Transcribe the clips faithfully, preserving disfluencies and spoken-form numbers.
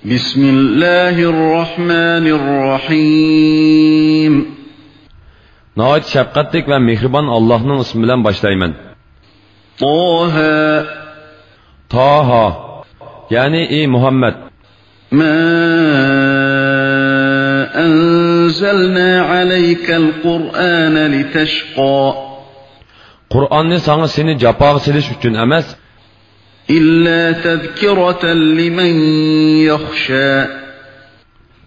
بسم الله الرحمن الرحيم. ناھايىتى شەپقەتلىك ۋە مېھرىبان ئاللاھنىڭ ئىسمى بىلەن باشلايمەن. طه. تاھا. يەنى، ئى مۇھەممەد. ما أنزلنا عليك القرآن لتشقى. قۇرئاننى ساڭا سېنى جاپاغا سېلىش ئۈچۈن ئەمەس. إلا تذكرة لمن يخشى.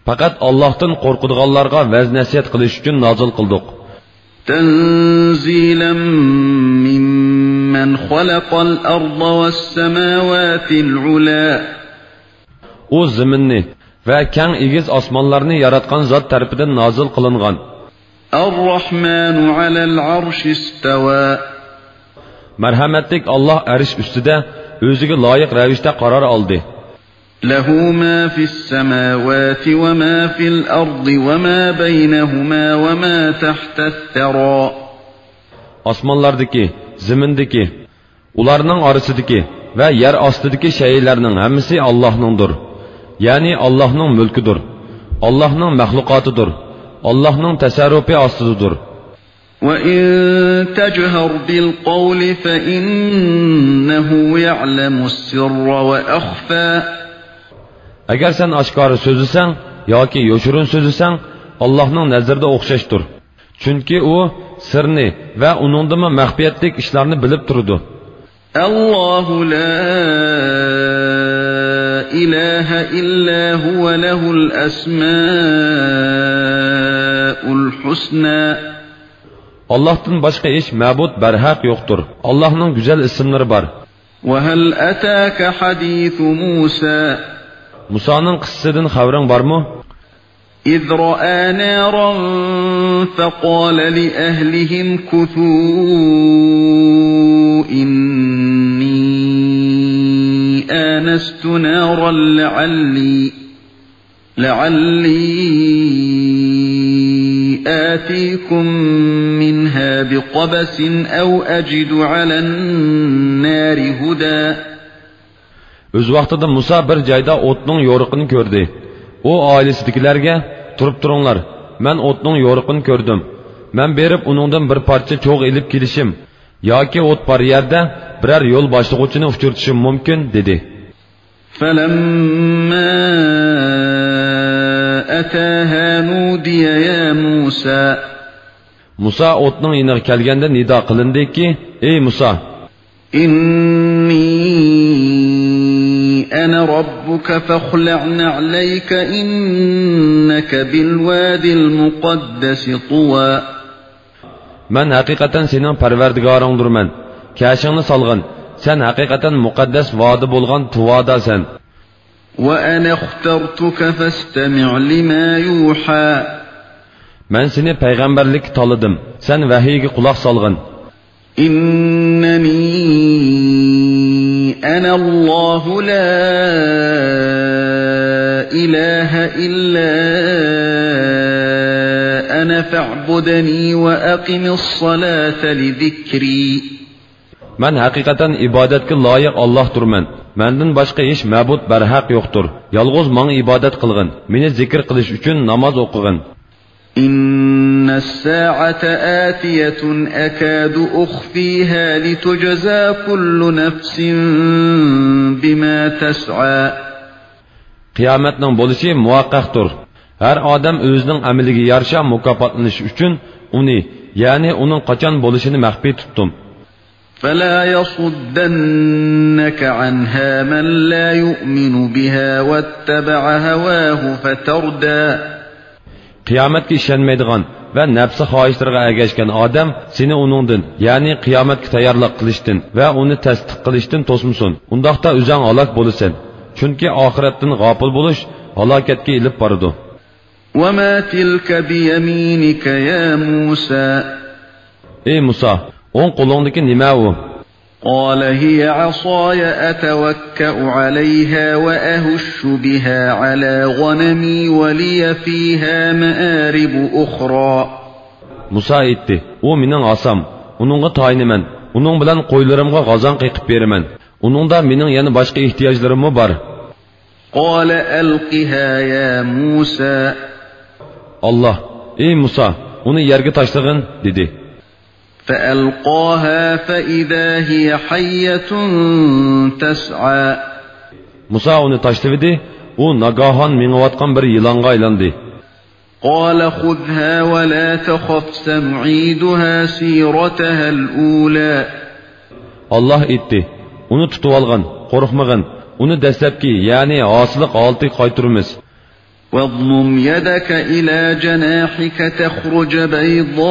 پەقەت ئاللاھتىن قورقىدىغانلارغا ۋەز-نەسىھەت قىلىش ئۈچۈن نازىل قىلدۇق. تنزيلا ممن خلق الأرض والسماوات العلى. ئۇ زېمىننى ۋە كەڭ ئېگىز ئاسمانلارنى ياراتقان زات تەرىپىدىن نازىل قىلىنغان. الرحمن على العرش استوى. مەرھەمەتلىك ئاللاھ ئەرش ئۈستىدە ئۆزىگە لايىق رەۋىشتە قارار ئالدى. له ما في السماوات وما في الأرض وما بينهما وما تحت الثرى. ئاسمانلاردىكى، زېمىندىكى، ئۇلارنىڭ ئارىسىدىكى ۋە يەر ئاستىدىكى شەيئىلەرنىڭ ھەممىسى ئاللاھنىڭدۇر. يەنى ئاللاھنىڭ مۈلكىدۇر. ئاللاھنىڭ مەخلۇقاتىدۇر. ئاللاھنىڭ تەسەررۇپى ئاستىدىدۇر. وإن تجهر بالقول فإنه يعلم السر وأخفى. ئەگەر سەن ئاشكارا سۆزلىسەڭ ياكى يوشۇرۇن سۆزلىسەڭ، ئاللاھنىڭ نەزىرىدە ئوخشاشتۇر. چۈنكى ئۇ سىرنى ۋە ئۇنىڭدىنمۇ مەخپىيەتلىك ئىشلارنى بىلىپ تۇرىدۇ. الله لا إله إلا هو له الأسماء الحسنى. ئاللاھتىن باشقا ھېچ مەبۇد بەرھەق يوقتۇر. ئاللاھنىڭ گۈزەل ئىسىملىرى بار. وهل أتاك حديث موسى. مۇسانىڭ قىسسىسىدىن خەۋىرىڭ بارمۇ؟ إذ رأى نارا فقال لأهله امكثوا إني آنست نارا لعلي، لعلي آتيكم منها بقبس أو أجد على النار هدى. ئۆز ۋاقتىدا مۇسا بىر جايدا ئوتنىڭ يورۇقىنى كۆردى. ئۇ ئائىلىسىدىكىلەرگە، تۇرۇپ تۇرۇڭلار، مەن ئوتنىڭ يورۇقىنى كۆردۈم. مەن بېرىپ ئۇنىڭدىن بىر پارچە چوغ ئېلىپ كېلىشىم ياكى ئوت بار يەردە بىرەر يول باشلىغۇچىنى ئۇچرىتىشىم مۇمكىن، دېدى. فلما أتاها نودي يا موسى. مۇسا ئوتنىڭ يېنىغا كەلگەندە نىدا قىلىندىكى، ئەي مۇسا! إني أنا ربك فاخلع نعليك إنك بالواد المقدس طوى. مەن ھەقىقەتەن سېنىڭ پەرۋەردىگارىڭدۇرمەن. كەشىڭنى سالغىن. سەن ھەقىقەتەن مۇقەددەس ۋادى بولغان تۇۋاداسەن. وأنا اخترتك فاستمع لما يوحى. مەن سېنى پەيغەمبەرلىككە تاللىدىم. سەن ۋەھىيگە قۇلاق سالغىن. إنني أنا الله لا إله إلا أنا فاعبدني وأقم الصلاة لذكري. مەن ھەقىقەتەن ئىبادەتكە لايىق ئاللاھتۇرمەن. مەندىن باشقا ھېچ مەبۇد بەرھەق يوقتۇر. يالغۇز ماڭا ئىبادەت قىلغىن. مېنى زىكىر قىلىش ئۈچۈن ناماز ئوقۇغىن. إن الساعة آتية أكاد أخفيها لتجزى كل نفس بما تسعى. قىيامەتنىڭ بولۇشى مۇھەققەقتۇر. ھەر ئادەم ئۆزىنىڭ ئەمىلىگە يارىشا مۇكاپاتلىنىش ئۈچۈن ئۇنى، يەنى ئۇنىڭ قاچان بولۇشىنى مەخپىي تۇتتۇم. فلا يصدنك عنها من لا يؤمن بها واتبع هواه فتردى. قىيامەتكە ئىشەنمەيدىغان ۋە نەپسى خاھىشلىرىغا ئەگەشكەن ئادەم سېنى ئۇنىڭدىن، يەنى قىيامەتكە تەييارلىق قىلىشتىن ۋە ئۇنى تەستىق قىلىشتىن توسمىسۇن. ئۇنداقتا ئۆزۈڭ ھالاك بولىسەن. چۈنكى ئاخىرەتتىن غاپىل بولۇش ھالاكەتكە ئېلىپ بارىدۇ. وما تلك بيمينك يا موسى. ئەي مۇسا، ئوڭ قولۇڭدىكى نېمە ئۇ؟ قال هي عصاي أتوكأ عليها وأهش بها على غنمي ولي فيها مآرب أخرى. مۇسا ئېيتتى، ئۇ مېنىڭ ھاسام، ئۇنىڭغا تايىنىمەن، ئۇنىڭ بىلەن قويلىرىمغا غازاڭ قېقىپ بېرىمەن. ئۇنىڭدا مېنىڭ يەنە باشقا ئېھتىياجلىرىممۇ بار. قال ألقها يا موسى. ئاللاھ، ئەي مۇسا، ئۇنى يەرگە تاشلىغىن، دېدى. فألقاها فإذا هي حية تسعى. مۇسا ئۇنى تاشلىۋىدى، ئۇ ناگاھان مېڭىۋاتقان بىر يىلانغا ئايلاندى. قال خذها ولا تخف سنعيدها سيرتها الأولى. ئاللاھ ئېيتتى، ئۇنى تۇتۇۋالغىن، قورقمىغىن، ئۇنى دەسلەپكى، يەنى ھاسىللىق ھالىتىگە قايتۇرىمىز. واضمم يدك إلى جناحك تخرج بيضاء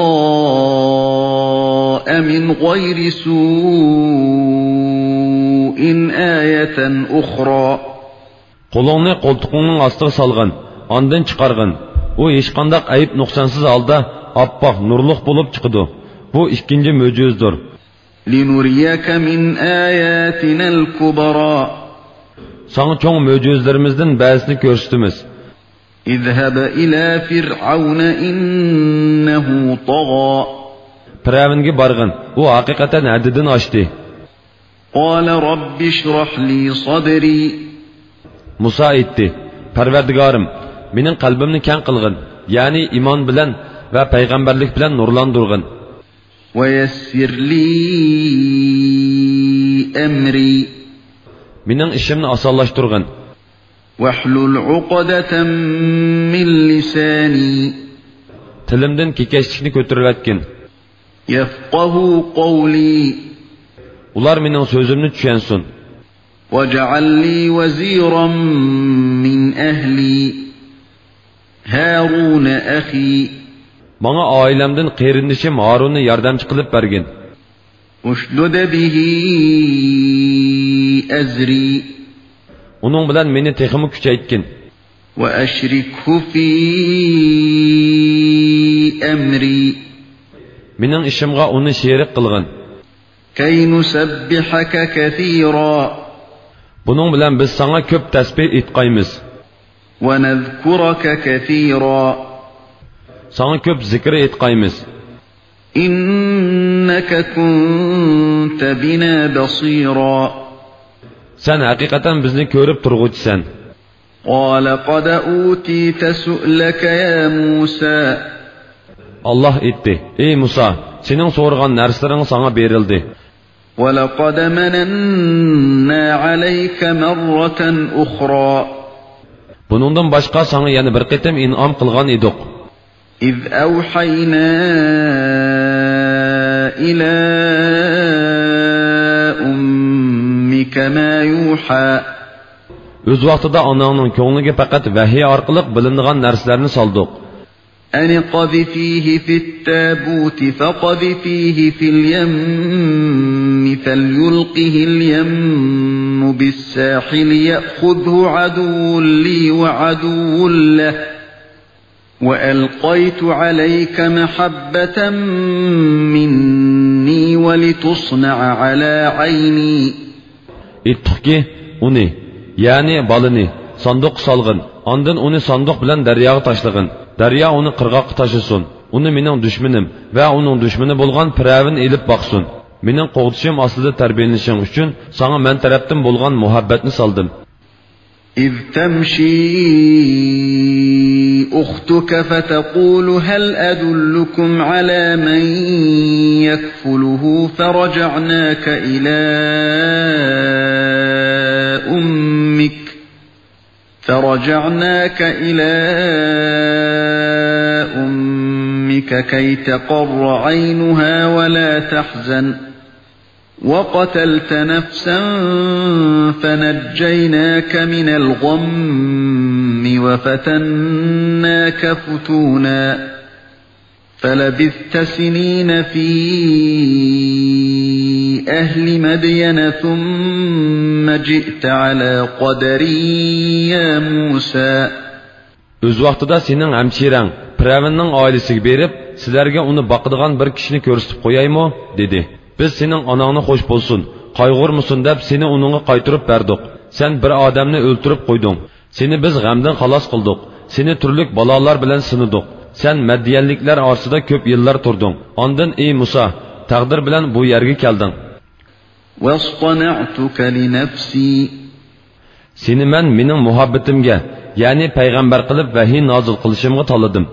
من غير سوء آية أخرى. قولۇڭنى قولتۇقۇڭنىڭ ئاستىغا سالغىن، ئاندىن چىقارغىن. ئۇ ھېچقانداق ئەيىب-نۇقسانسىز ھالدا ئاپئاق، نۇرلۇق بولۇپ چىقىدۇ. بۇ ئىككىنچى مۆجىزىدۇر. لنريك من آياتنا الكبرى. ساڭا چوڭ مۆجىزىلىرىمىزدىن بەزىسىنى كۆرسىتىمىز. اذهب إلى فرعون إنه طغى. پىرئەۋنگە بارغىن، ئۇ ھەقىقەتەن ھەددىدىن ئاشتى. قال رب اشرح لي صدري. مۇسا ئېيتتى، پەرۋەردىگارىم، مېنىڭ قەلبىمنى كەڭ قىلغىن، يەنى ئىمان بىلەن ۋە پەيغەمبەرلىك بىلەن نۇرلاندۇرغىن. ويسر لي أمري. مېنىڭ ئىشىمنى ئاسانلاشتۇرغىن. واحلل عقدة من لساني. تىلىمدىن كېكەچلىكنى كۆتۈرۈۋەتكىن. يفقهوا قولي. ئۇلار مېنىڭ سۆزۈمنى چۈشەنسۇن. واجعل لي وزيرا من أهلي. هارون أخي. ماڭا ئائىلەمدىن قېرىندىشىم ھارۇننى ياردەمچى قىلىپ بەرگىن. اشدد به أزري. ئۇنىڭ بىلەن مېنى تېخىمۇ كۈچەيتكىن. وأشركه في أمري. مېنىڭ ئىشىمغا ئۇنى شېرىك قىلغىن. كي نسبحك كثيرا. بۇنىڭ بىلەن بىز ساڭا كۆپ تەسبىھ ئېيتقايمىز. ونذكرك كثيرا. ساڭا كۆپ زىكىر ئېيتقايمىز. إنك كنت بنا بصيرا. سەن ھەقىقەتەن بىزنى كۆرۈپ تۇرغۇچىسەن. قال قد أوتيت سؤلك يا موسى. ئاللاھ ئېيتتى، ئەي مۇسا، سېنىڭ سورىغان نەرسىلىرىڭ ساڭا بېرىلدى. ولقد مننا عليك مرة أخرى. بۇنىڭدىن باشقا ساڭا يەنە بىر قېتىم ئىنئام قىلغان ئىدۇق. إذ أوحينا إلى أمك ما يوحى. ئۆز ۋاقتىدا ئاناڭنىڭ كۆڭلىگە پەقەت ۋەھىي ئارقىلىق بىلىنىدىغان نەرسىلەرنى سالدۇق. أن اقذفيه في التابوت فاقذفيه في اليم فليلقه اليم بالساحل يأخذه عدو لي وعدو له وألقيت عليك محبة مني ولتصنع على عيني. ئېيتتۇقكى، ئۇنى، يەنى بالىنى، ساندۇققا سالغىن، ئاندىن ئۇنى ساندۇق بىلەن دەرياغا تاشلىغىن. دەريا ئۇنى قىرغاققا تاشلىسۇن. ئۇنى مېنىڭ دۈشمىنىم ۋە ئۇنىڭ دۈشمىنى بولغان پىرئەۋن ئېلىپ باقسۇن. مېنىڭ قوغدىشىم ئاستىدا تەربىيەلىنىشىڭ ئۈچۈن ساڭا مەن تەرەپتىن بولغان مۇھەببەتنى سالدىم. إذ تمشي أختك فتقول هل أدلكم على من يكفله فرجعناك إلى أمك، فرجعناك إلى أمك كي تقر عينها ولا تحزن، وقتلت نفسا فنجيناك من الغم وفتناك فتونا فلبثت سنين في أهل مدين ثم جئت على قدر يا موسى. ئۆز ۋاقتىدا سېنىڭ ھەمشىرەڭ پىرئەۋننىڭ ئائىلىسىگە بېرىپ، سىلەرگە ئۇنى باقىدىغان بىر كىشىنى كۆرسىتىپ قويايمۇ؟ دېدى. بىز سېنىڭ ئاناڭنى خوش بولسۇن، قايغۇرمىسۇن دەپ سېنى ئۇنىڭغا قايتۇرۇپ بەردۇق. سەن بىر ئادەمنى ئۆلتۈرۈپ قويدۇڭ. سېنى بىز غەمدىن خالاس قىلدۇق. سېنى تۈرلۈك بالالار بىلەن سىنىدۇق. سەن مەديەنلىكلەر ئارىسىدا كۆپ يىللار تۇردۇڭ. ئاندىن، ئەي مۇسا، تەقدىر بىلەن بۇ يەرگە كەلدىڭ. واصطنعتك لنفسي. سېنى مەن مېنىڭ مۇھەببىتىمگە، يەنى پەيغەمبەر قىلىپ ۋەھىي نازىل قىلىشىمغا تاللىدىم.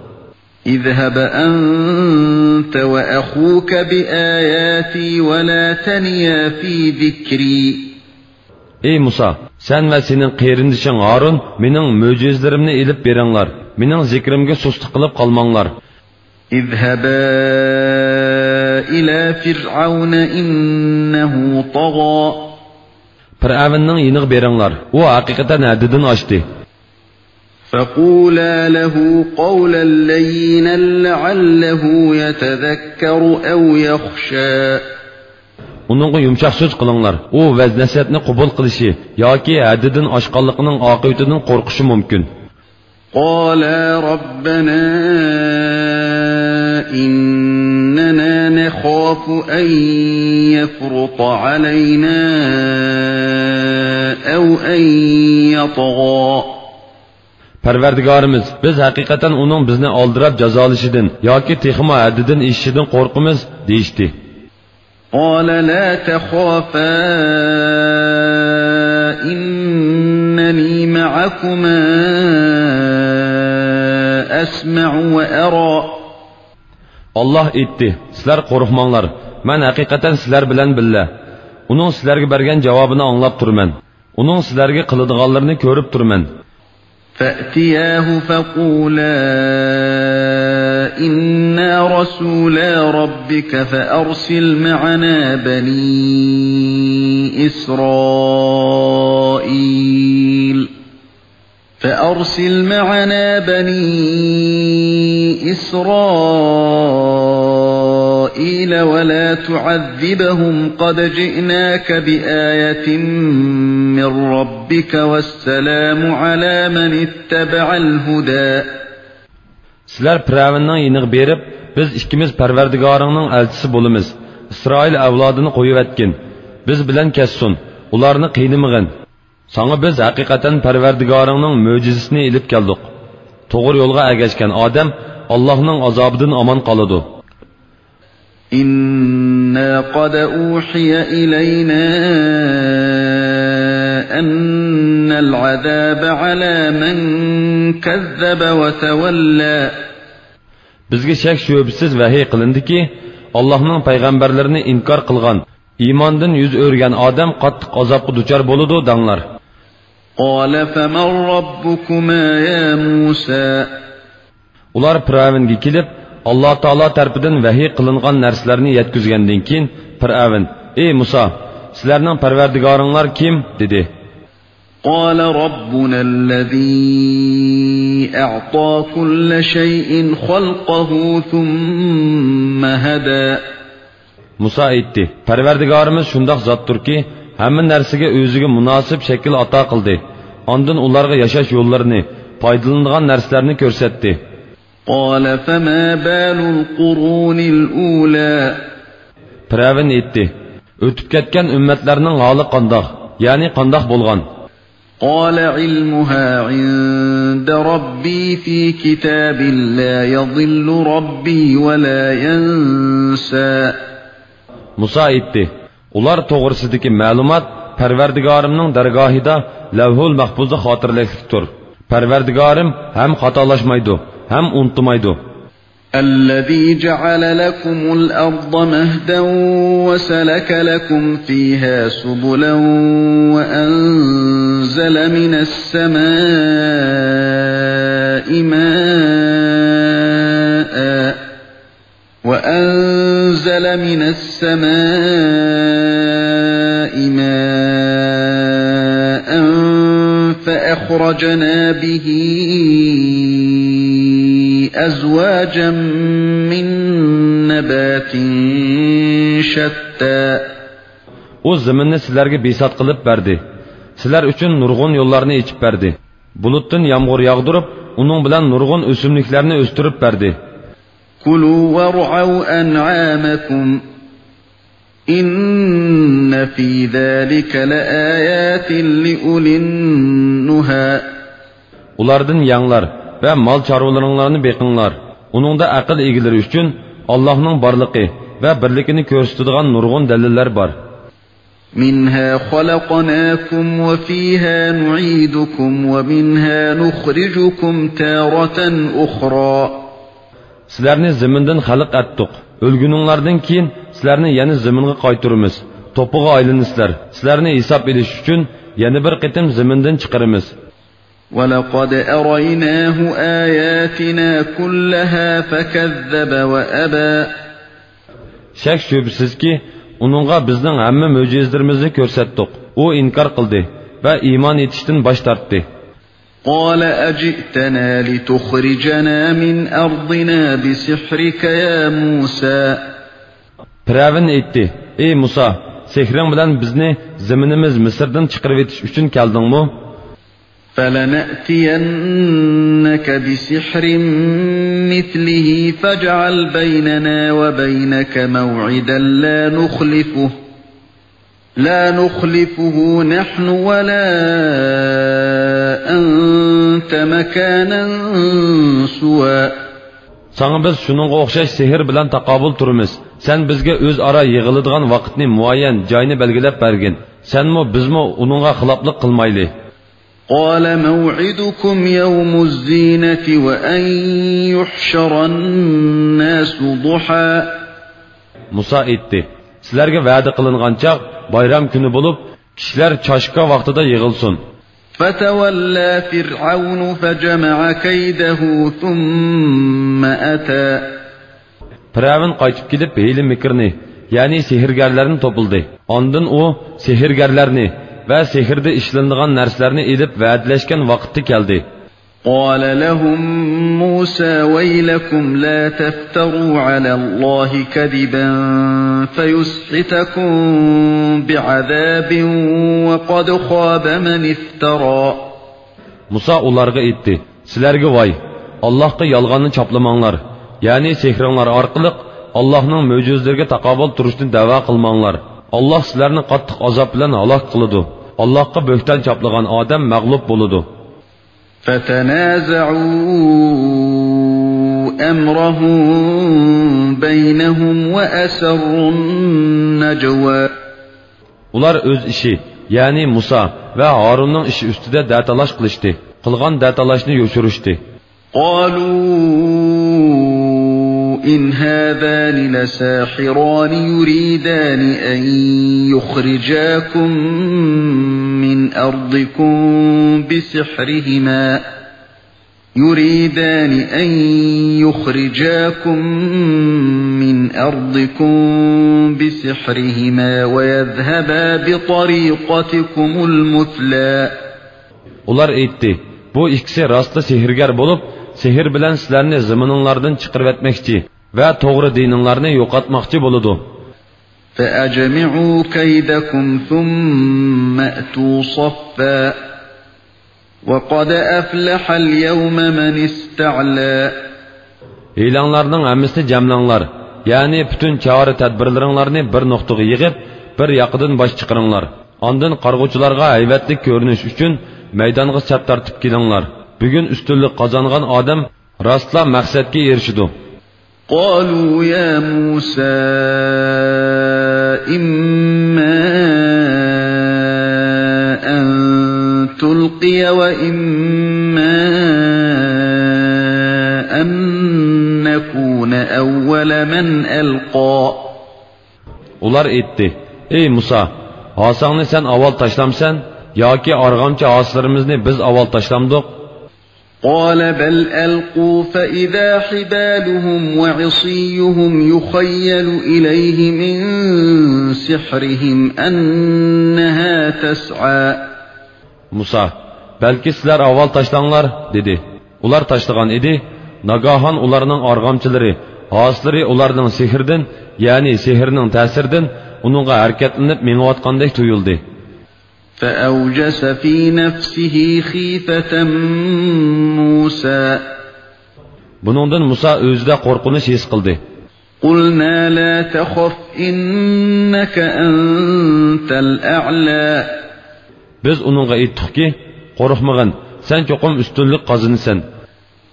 اذهب أنت وأخوك بآياتي ولا تنيا في ذكري. ئەي مۇسا، سەن ۋە سېنىڭ قېرىندىشىڭ ھارۇن مېنىڭ مۆجىزىلىرىمنى ئېلىپ بېرىڭلار، مېنىڭ زىكرىمگە سۇستىلىق قىلىپ قالماڭلار. اذهبا إلى فرعون إنه طغى. پىرئەۋننىڭ يېنىغا بېرىڭلار، ئۇ ھەقىقەتەن ھەددىدىن ئاشتى. فقولا له قولا لينا لعله يتذكر أو يخشى. ئۇنىڭغا يۇمشاق سۆز قىلىڭلار، ئۇ ۋەز-نەسىھەتنى قوبۇل قىلىشى ياكى ھەددىدىن ئاشقانلىقىنىڭ ئاقىۋىتىدىن قورقۇشى مۇمكىن. قالا ربنا إننا نخاف أن يفرط علينا أو أن يطغى. پەرۋەردىگارىمىز، بىز ھەقىقەتەن ئۇنىڭ بىزنى ئالدىراپ جازالىشىدىن ياكى تېخىمۇ ھەددىدىن ئېشىشىدىن قورقىمىز، دېيىشتى. قال لا تخافا إنني معكما أسمع وأرى. ئاللاھ ئېيتتى، سىلەر قورقماڭلار، مەن ھەقىقەتەن سىلەر بىلەن بىللە. ئۇنىڭ سىلەرگە بەرگەن جاۋابىنى ئاڭلاپ تۇرىمەن. ئۇنىڭ سىلەرگە قىلىدىغانلىرىنى كۆرۈپ تۇرىمەن. فأتياه فقولا إنا رسولا ربك فأرسل معنا بني إسرائيل. فأرسل معنا بني إسرائيل ولا تعذبهم قد جئناك بآية من ربك والسلام على من اتبع الهدى. سىلەر پىرئەۋننىڭ يېنىغا بېرىپ، بىز ئىككىمىز پەرۋەردىگارىڭنىڭ ئەلچىسى بولىمىز. ئىسرائىل ئەۋلادىنى قويۇۋەتكىن. بىز بىلەن كەتسۇن. ئۇلارنى قىينىمىغىن. ساڭا بىز ھەقىقەتەن پەرۋەردىگارىڭنىڭ مۆجىزىسىنى ئېلىپ كەلدۇق. توغرا يولغا ئەگەشكەن ئادەم ئاللاھنىڭ ئازابىدىن ئامان قالىدۇ. إنا قد أوحي إلينا أن العذاب على من كذب وتولى. بىزگە شەك-شۈبھىسىز ۋەھىي قىلىندىكى، ئاللاھنىڭ پەيغەمبەرلىرىنى ئىنكار قىلغان، ئىماندىن يۈز ئۆرۈگەن ئادەم قاتتىق ئازابقا دۇچار بولىدۇ، دەڭلار. قال فمن ربكما يا موسى. ئۇلار پىرئەۋنگە كېلىپ، ئاللا تائالا تەرىپىدىن ۋەھىي قىلىنغان نەرسىلەرنى يەتكۈزگەندىن كېيىن، پىرئەۋن، ئەي مۇسا، سىلەرنىڭ پەرۋەردىگارىڭلار كىم؟ دېدى. قال ربنا الذي أعطى كل شيء خلقه ثم هدى. مۇسا ئېيتتى، پەرۋەردىگارىمىز شۇنداق زاتتۇركى، ھەممە نەرسىگە ئۆزىگە مۇناسىپ شەكىل ئاتا قىلدى. ئاندىن ئۇلارغا ياشاش يوللىرىنى، پايدىلىنىدىغان نەرسىلەرنى كۆرسەتتى. قال فما بال القرون الأولى. پىرئەۋن ئېيتتى، ئۆتۈپ كەتكەن ئۈممەتلەرنىڭ ھالى قانداق؟ يەنى قانداق بولغان؟ قال علمها عند ربي في كتاب لا يضل ربي ولا ينسى. مۇسا ئېيتتى، ئۇلار توغرىسىدىكى مەلۇمات پەرۋەردىگارىمنىڭ دەرگاھىدا لەۋھۇل مەھپۇزدا خاتىرىلىكلىكتۇر. پەرۋەردىگارىم ھەم خاتالاشمايدۇ، ھەم ئۇنتۇمايدۇ. الذي جعل لكم الأرض مهدا وسلك لكم فيها سبلا وأنزل من السماء ماء وأنزل من السماء ماء فأخرجنا به أزواجا من نبات شتى. ئۇ زېمىننى سىلەرگە بىسات قىلىپ بەردى. سىلەر ئۈچۈن نۇرغۇن يوللارنى ئېچىپ بەردى. بۇلۇتتىن يامغۇر ياغدۇرۇپ، ئۇنىڭ بىلەن نۇرغۇن ئۆسۈملۈكلەرنى ئۆستۈرۈپ بەردى. كلوا وارعوا أنعامكم إن في ذلك لآيات لأولي النهى. ئۇلاردىن يەڭلار ۋە مال چارۋىلىرىڭلارنى بېقىڭلار. ئۇنىڭدا ئەقىل ئىگىلىرى ئۈچۈن ئاللاھنىڭ بارلىقى ۋە بىرلىكىنى كۆرسىتىدىغان نۇرغۇن دەلىللەر بار. مِنْهَا خَلَقْنَاكُمْ وَفِيهَا نُعِيدُكُمْ وَمِنْهَا نُخْرِجُكُمْ تَارَةً أُخْرَى. سىلەرنى زېمىندىن خەلق ئەتتۇق. ئۆلگىنىڭلاردىن كېيىن سىلەرنى يەنە زېمىنغا قايتۇرىمىز. توپىغا ئايلىنىسىلەر. سىلەرنى ھېساب ئېلىش ئۈچۈن يەنە بىر قېتىم زېمىندىن چىقىرىمىز. وَلَقَدْ أَرَيْنَاهُ آيَاتِنَا كُلَّهَا فَكَذَّبَ وَأَبَى. شەك-شۈبھىسىزكى، ئۇنىڭغا بىزنىڭ ھەممە مۆجىزىلىرىمىزنى كۆرسەتتۇق. ئۇ ئىنكار قىلدى ۋە ئىمان ئېيتىشتىن باش تارتتى. قَالَ أَجِئْتَنَا لِتُخْرِجَنَا مِنْ أَرْضِنَا بِسِحْرِكَ يَا مُوسَى. پىرئەۋن ئېيتتى: ئەي مۇسا، سېھرىڭ بىلەن بىزنى زېمىنىمىز مىسىردىن چىقىرىۋېتىش ئۈچۈن كەلدىڭمۇ؟ فَلَنَأْتِيَنَّكَ بِسِحْرٍ مِثْلِهِ فَاجْعَلْ بَيْنَنَا وَبَيْنَكَ مَوْعِدًا لَا نُخْلِفُهُ، لَا نُخْلِفُهُ نَحْنُ وَلَا أَنْتَ مَكَانًا سُوًى. ساڭا بىز شۇنىڭغا ئوخشاش سېھىر بىلەن تاقابىل تۇرىمىز. سەن بىزگە ئۆزئارا يىغىلىدىغان ۋاقىتنى، مۇئەييەن جاينى بەلگىلەپ بەرگىن. سەنمۇ، بىزمۇ ئۇنىڭغا خىلاپلىق قىلمايلى. قَالَ مَوْعِدُكُمْ يَوْمُ الزِّينَةِ وَأَنْ يُحْشَرَ النَّاسُ ضُحًى. مۇسا ئېيتتى: سىلەرگە ۋەدە قىلىنغان چاغ بايرام كۈنى بولۇپ، كىشىلەر چاشكا ۋاقتىدا يىغىلسۇن. فَتَوَلَّى فِرْعَوْنُ فَجَمَعَ كَيْدَهُ ثُمَّ أَتَى. پىرئەۋن قايتىپ كېلىپ، ھىيلە-مىكىرنى، يەنى سېھىرگەرلەرنى توپلىدى. ئاندىن ئۇ سېھىرگەرلەرنى ۋە سېھىردە ئىشلىنىدىغان نەرسىلەرنى ئېلىپ، ۋەدىلەشكەن ۋاقىتتا كەلدى. قَالَ لَهُمْ مُوسَى وَيْلَكُمْ لَا تَفْتَرُوا عَلَى اللَّهِ كَذِبًا فَيُسْحِتَكُمْ بِعَذَابٍ وَقَدْ خَابَ مَنِ افْتَرَى. مۇسا ئۇلارغا ئېيتتى: سىلەرگە ۋاي! ئاللاھقا يالغاننى چاپلىماڭلار، يەنى سېھرىڭلار ئارقىلىق ئاللاھنىڭ مۆجىزىلىرىگە تاقابىل تۇرۇشنى دەۋا قىلماڭلار. ئاللاھ سىلەرنى قاتتىق ئازاب بىلەن ھالاك قىلىدۇ. ئاللاھقا بۆھتان چاپلىغان ئادەم مەغلۇپ بولىدۇ. فَتَنَازَعُوا أَمْرَهُمْ بَيْنَهُمْ وَأَسَرُّوا النَّجْوَى. ئۇلار ئۆز ئىشى، يەنى مۇسا ۋە ھارۇننىڭ ئىشى ئۈستىدە دەتالاش قىلىشتى، قىلغان دەتالاشنى يوشۇرۇشتى. قَالُوا إِنْ هَذَانِ لَسَاحِرَانِ يُرِيدَانِ أَنْ يُخْرِجَاكُمْ مِنْ أَرْضِكُمْ بِسِحْرِهِمَا، يُرِيدَانِ أَنْ يُخْرِجَاكُمْ مِنْ أَرْضِكُمْ بِسِحْرِهِمَا وَيَذْهَبَا بِطَرِيقَتِكُمُ الْمُثْلَى. ئۇلار ئېيتتى: بۇ ئىككىسى راستلا سېھىرگەر بولۇپ، سېھىر بىلەن سىلەرنى زېمىنىڭلاردىن چىقىرىۋەتمەكچى ۋە توغرا دىنىڭلارنى يوقاتماقچى بولىدۇ. فَأَجْمِعُوا كَيْدَكُمْ ثُمَّ ائْتُوا صَفًّا وَقَدْ أَفْلَحَ الْيَوْمَ مَنِ اسْتَعْلَى. ھىيلەڭلارنىڭ ھەممىسىنى جەملەڭلار، يەنى پۈتۈن چارە-تەدبىرلىرىڭلارنى بىر نۇقتىغا يىغىپ، بىر ياقىدىن باش چىقىرىڭلار. ئاندىن قارىغۇچىلارغا ھەيۋەتلىك كۆرۈنۈش ئۈچۈن مەيدانغا سەپ تارتىپ كېلىڭلار. بۈگۈن ئۈستۈنلۈك قازانغان ئادەم راستلا مەقسەتكە ئېرىشىدۇ. قَالُوا يَا مُوسَى إِمَّا أَنْ تُلْقِيَ وَإِمَّا أَنْ نَكُونَ أَوَّلَ مَنْ أَلْقَى. ئۇلار ئېيتتى: ئەي مۇسا، ھاساڭنى سەن ئاۋۋال تاشلامسەن ياكى ئارغامچا ھاسىلىرىمىزنى بىز ئاۋۋال تاشلامدۇق؟ قَالَ بَلْ أَلْقُوا فَإِذَا حِبَالُهُمْ وَعِصِيُّهُمْ يُخَيَّلُ إِلَيْهِ مِنْ سِحْرِهِمْ أَنَّهَا تَسْعَى. مۇسا: بەلكى سىلەر ئاۋۋال تاشلاڭلار، دېدى. ئۇلار تاشلىغان ئىدى. ناگاھان ئۇلارنىڭ ئارغامچىلىرى، ھاسىلىرى ئۇلارنىڭ سېھرىدىن، يەنى سېھرىنىڭ تەسىرىدىن ئۇنىڭغا ھەرىكەتلىنىپ مېڭىۋاتقاندەك تۇيۇلدى. فَأَوْجَسَ فِي نَفْسِهِ خِيفَةً مُوسَى. بۇنىڭدىن مۇسا ئۆزىدە قورقۇنچ ھېس قىلدى. قُلْنَا لَا تَخَفْ إِنَّكَ أَنْتَ الْأَعْلَى. بىز ئۇنىڭغا ئېيتتۇقكى، قورقمىغىن، سەن چوقۇم ئۈستۈنلۈك قازىنىسەن.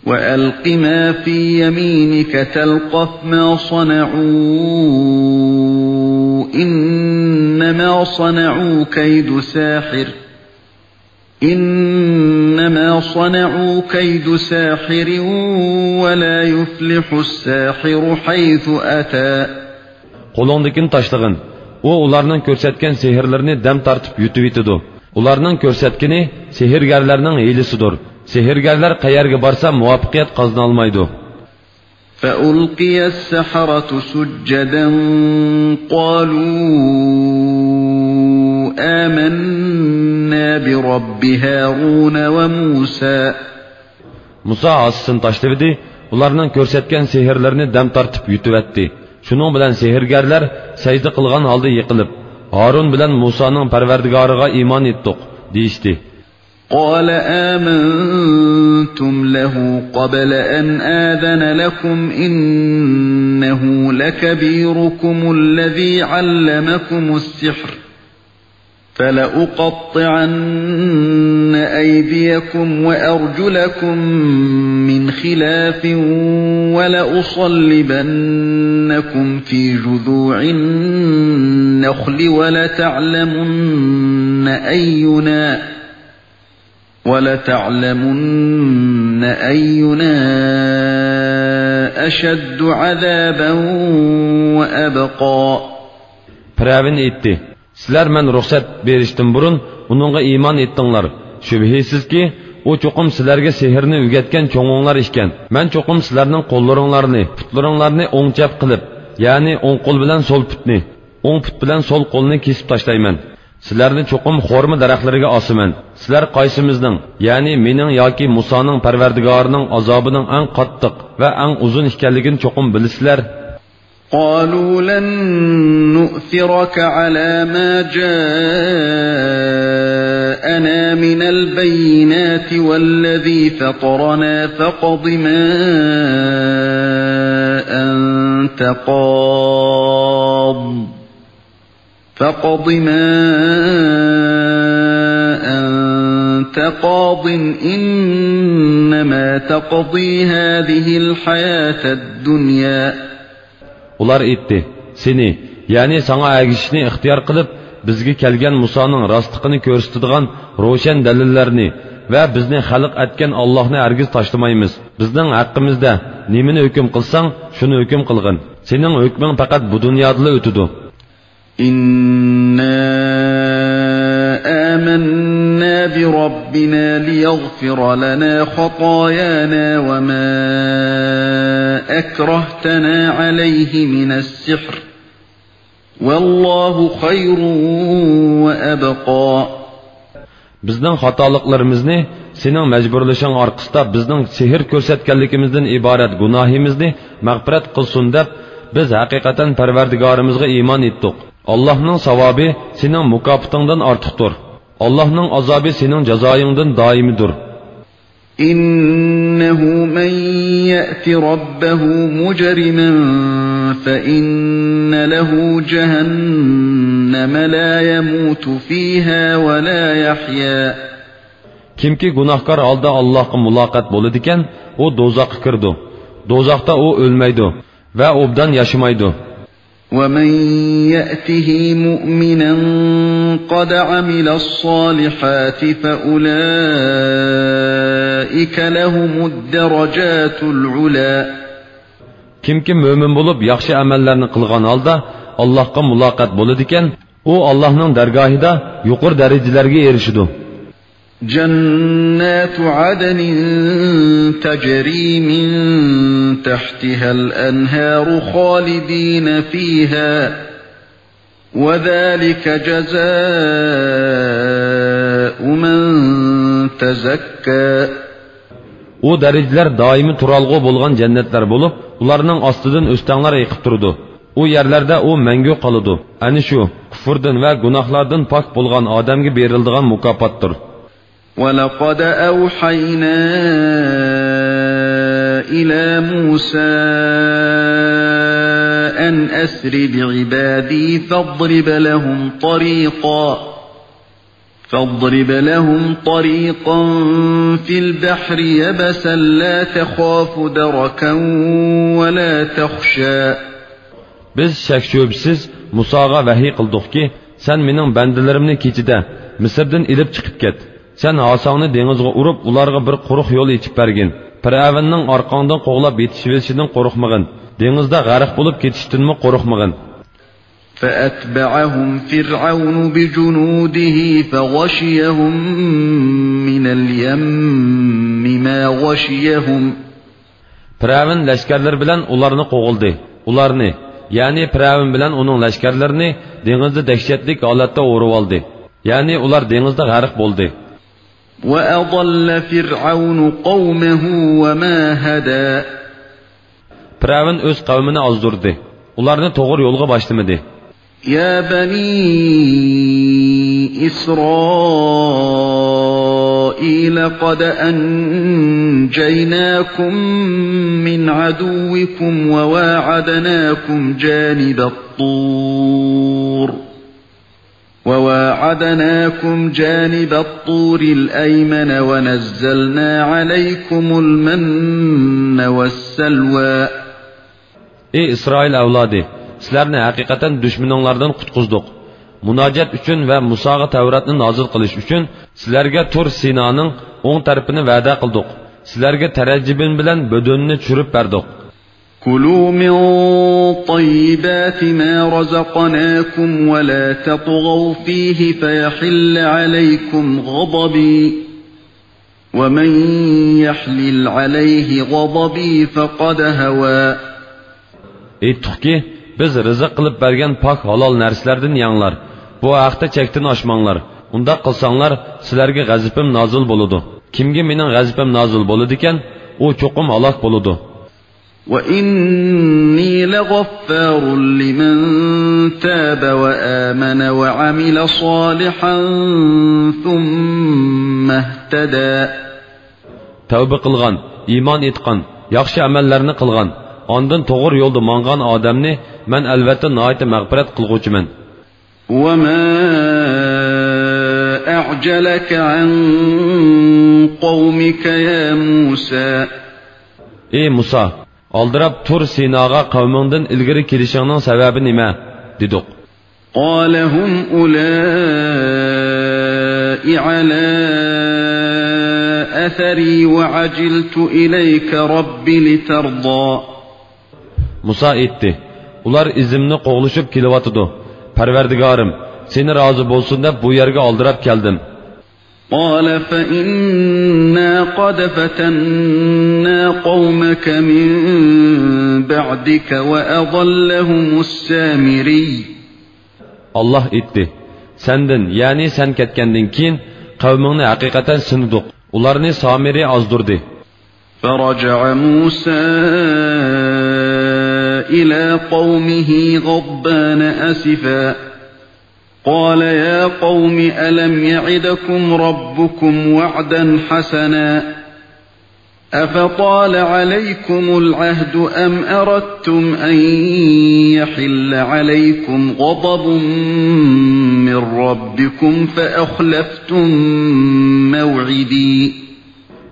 وَأَلْقِ مَا فِي يَمِينِكَ تَلْقَفْ مَا صَنَعُوا إنما صنعوا كيد ساحر إنما صنعوا كيد ساحر ولا يفلح الساحر حيث أتى. قولۇڭدىكىنى تاشلىغىن. ئۇ ئۇلارنىڭ كۆرسەتكەن سېھىرلىرىنى دەم تارتىپ يۇتۇۋېتىدۇ. ئۇلارنىڭ كۆرسەتكىنى سېھىرگەرلەرنىڭ ھىيلىسىدۇر. سېھىرگەرلەر قەيەرگە بارسا مۇۋەپپەقىيەت قازىنالمايدۇ. فألقي السحرة سجدا قالوا آمنا برب هارون وموسى. مۇسا ھاسىسىنى تاشلىۋىدى، ئۇلارنىڭ كۆرسەتكەن سېھىرلىرىنى دەم تارتىپ يۇتۇۋەتتى. شۇنىڭ بىلەن سېھىرگەرلەر سەجدە قىلغان ھالدا يىقىلىپ، ھارۇن بىلەن مۇسانىڭ پەرۋەردىگارىغا ئىمان ئېيتتۇق، دېيىشتى. قال آمنتم له قبل أن آذن لكم إنه لكبيركم الذي علمكم السحر فلأقطعن أيديكم وأرجلكم من خلاف ولأصلبنكم في جذوع النخل ولتعلمن أينا ولتعلمن أينا أشد عذابا وأبقى. پىرئەۋن ئېيتتى: سىلەر مەن رۇخسەت بېرىشتىن بۇرۇن ئۇنىڭغا ئىمان ئېيتتىڭلار. شۈبھىسىزكى، ئۇ چوقۇم سىلەرگە سېھىرنى ئۆگەتكەن چوڭۇڭلار ئىكەن. مەن چوقۇم سىلەرنىڭ قوللىرىڭلارنى، پۇتلىرىڭلارنى ئوڭ چەپ قىلىپ، يەنى ئوڭ قول بىلەن سول پۇتنى، ئوڭ پۇت بىلەن سول قولنى كېسىپ تاشلايمەن. سىلەرنى چوقۇم خورما دەرەخلىرىگە ئاسىمەن. سىلەر قايسىمىزنىڭ، يەنى مېنىڭ ياكى مۇسانىڭ پەرۋەردىگارىنىڭ ئازابىنىڭ ئەڭ قاتتىق ۋە ئەڭ ئۇزۇن ئىكەنلىكىنى چوقۇم بىلىسىلەر. قالوا لن نؤثرك على ما جاءنا من البينات والذي فطرنا فاقض ما أنت قاض فاقض ما أنت قاض إنما تقضي هذه الحياة الدنيا. ئۇلار ئېيتتى: سېنى، يەنى ساڭا ئەگىشىشنى ئىختىيار قىلىپ، بىزگە كەلگەن مۇسانىڭ راستلىقىنى كۆرسىتىدىغان روشەن دەلىللەرنى ۋە بىزنى خەلق ئەتكەن ئاللاھنى ھەرگىز تاشلىمايمىز. بىزنىڭ ھەققىمىزدە نېمىنى ھۆكۈم قىلساڭ، شۇنى ھۆكۈم قىلغىن. سېنىڭ ھۆكمۈڭ پەقەت بۇ دۇنيادىلا ئۆتىدۇ. إنا آمنا بربنا ليغفر لنا خطايانا وما أكرهتنا عليه من السحر والله خير وأبقى. بىزنىڭ خاتالىقلىرىمىزنى سېنىڭ مەجبۇرلىشىڭ ئارقىسىدا بىزنىڭ سېھىر كۆرسەتكەنلىكىمىزدىن ئىبارەت گۇناھىمىزنى مەغپىرەت قىلسۇن دەپ، بىز ھەقىقەتەن پەرۋەردىگارىمىزغا ئىمان ئېيتتۇق. ئاللاھنىڭ ساۋابى سېنىڭ مۇكاپاتىڭدىن ئارتۇقتۇر. ئاللاھنىڭ ئازابى سېنىڭ جازايىڭدىن دائىمىدۇر. إنه من يأت ربه مجرما فإن له جهنم لا يموت فيها ولا يحيا. كىمكى گۇناھكار ھالدا ئاللاھقا مۇلاقات بولىدىكەن، ئۇ دوزاخقا كىرىدۇ. دوزاختا ئۇ ئۆلمەيدۇ ۋە ئوبدان ياشىمايدۇ. ومن يأته مؤمنا قد عمل الصالحات فأولئك لهم الدرجات العلى. كىمكى مۆمىن بولۇپ ياخشى ئەمەللەرنى قىلغان ھالدا ئاللاھقا مۇلاقات بولىدىكەن، ئۇ ئاللاھنىڭ دەرگاھىدا يۇقىرى دەرىجىلەرگە ئېرىشىدۇ. جنات عدن تجري من تحتها الأنهار خالدين فيها وذلك جزاء من تزكى. ئۇ دەرىجىلەر دائىمىي تۇرالغۇ بولغان جەننەتلەر بولۇپ، ئۇلارنىڭ ئاستىدىن ئۆستەڭلەر ئېقىپ تۇرىدۇ. ئۇ يەرلەردە ئۇ مەڭگۈ قالىدۇ. ئەنە شۇ، كۇفۇردىن ۋە گۇناھلاردىن پاك بولغان ئادەمگە بېرىلىدىغان مۇكاپاتتۇر. ولقد أوحينا إلى موسى أن أسر بعبادي فاضرب لهم طريقا فاضرب لهم طريقا في البحر يبسا لا تخاف دركا ولا تخشى. بىز شەك-شۈبھىسىز مۇساغا ۋەھىي قىلدۇقكى، سەن مېنىڭ بەندىلىرىمنى كېچىدە مىسىردىن ئېلىپ چىقىپ كەت. سەن ھاساڭنى دېڭىزغا ئۇرۇپ، ئۇلارغا بىر قۇرۇق يول ئېچىپ بەرگىن. پىرئەۋننىڭ ئارقاڭدىن قوغلاپ يېتىشىۋېلىشىدىن قورقمىغىن. دېڭىزدا غەرق بولۇپ كېتىشتىنمۇ قورقمىغىن. فأتبعهم فرعون بجنوده فغشيهم من اليم ما غشيهم. پىرئەۋن لەشكەرلىرى بىلەن ئۇلارنى قوغلىدى. ئۇلارنى، يەنى پىرئەۋن بىلەن ئۇنىڭ لەشكەرلىرىنى دېڭىزدا دەھشەتلىك ھالەتتە ئورىۋالدى. يەنى ئۇلار دېڭىزدا غەرق بولدى. وأضل فرعون قومه وما هدى. پىرئەۋن ئۆز قەۋمىنى ئازدۇردى. ئۇلارنى توغرا يولغا باشلىمىدى. يا بني إسرائيل قد أنجيناكم من عدوكم وواعدناكم جانب الطور وواعدناكم جانب الطور الأيمن ونزلنا عليكم المن والسلوى. ئى ئىسرائىل ئەۋلادى، سىلەرنى ھەقىقەتەن دۈشمىنىڭلاردىن قۇتقۇزدۇق. مۇناجات ئۈچۈن ۋە مۇساغا تەۋراتنى نازىل قىلىش ئۈچۈن سىلەرگە تۇر سىنانىڭ ئوڭ تەرىپىنى ۋەدە قىلدۇق. سىلەرگە تەرەجىبىن بىلەن بۆدۈننى چۈشۈرۈپ بەردۇق. كلوا من طيبات ما رزقناكم ولا تطغوا فيه فيحل عليكم غضبي ومن يحلل عليه غضبي فقد هوى. ئېيتتۇقكى، بىز رىزىق قىلىپ بەرگەن پاك ھالال نەرسىلەردىن يەڭلار. بۇ ھەقتە چەكتىن ئاشماڭلار. ئۇنداق قىلساڭلار، سىلەرگە غەزىپىم نازىل بولىدۇ. كىمگە مېنىڭ غەزىپىم نازىل بولىدىكەن، ئۇ چوقۇم ھالاك بولىدۇ. وإني لغفار لمن تاب وآمن وعمل صالحا ثم اهتدى. تەۋبە قىلغان، ئىمان ئېيتقان، ياخشى ئەمەللەرنى قىلغان، ئاندىن توغرا يولدا ماڭغان ئادەمنى مەن ئەلۋەتتە ناھايىتى مەغپىرەت قىلغۇچىمەن. وما أعجلك عن قومك يا موسى. ئى مۇسا، ئالدىراپ تۇر سىناغا قەۋمىڭدىن ئىلگىرى كېلىشىڭنىڭ سەۋەبى نېمە؟ دېدۇق. قال هم أولاء على أثري وعجلت إليك رب لترضى. مۇسا ئېيتتى، ئۇلار ئىزىمنى قوغلىشىپ كېلىۋاتىدۇ. پەرۋەردىگارىم، سېنى رازى بولسۇن دەپ بۇ يەرگە ئالدىراپ كەلدىم. قال فإنا قد فتنا قومك من بعدك وأضلهم السامري. ئاللاھ ئېيتتى، سەندىن، يەنى سەن كەتكەندىن كېيىن قەۋمىڭنى ھەقىقەتەن سىنىدۇق. ئۇلارنى سامىرى ئازدۇردى. فرجع موسى إلى قومه غضبان أسفا قال يا قوم ألم يعدكم ربكم وعدا حسنا أفطال عليكم العهد أم أردتم أن يحل عليكم غضب من ربكم فأخلفتم موعدي.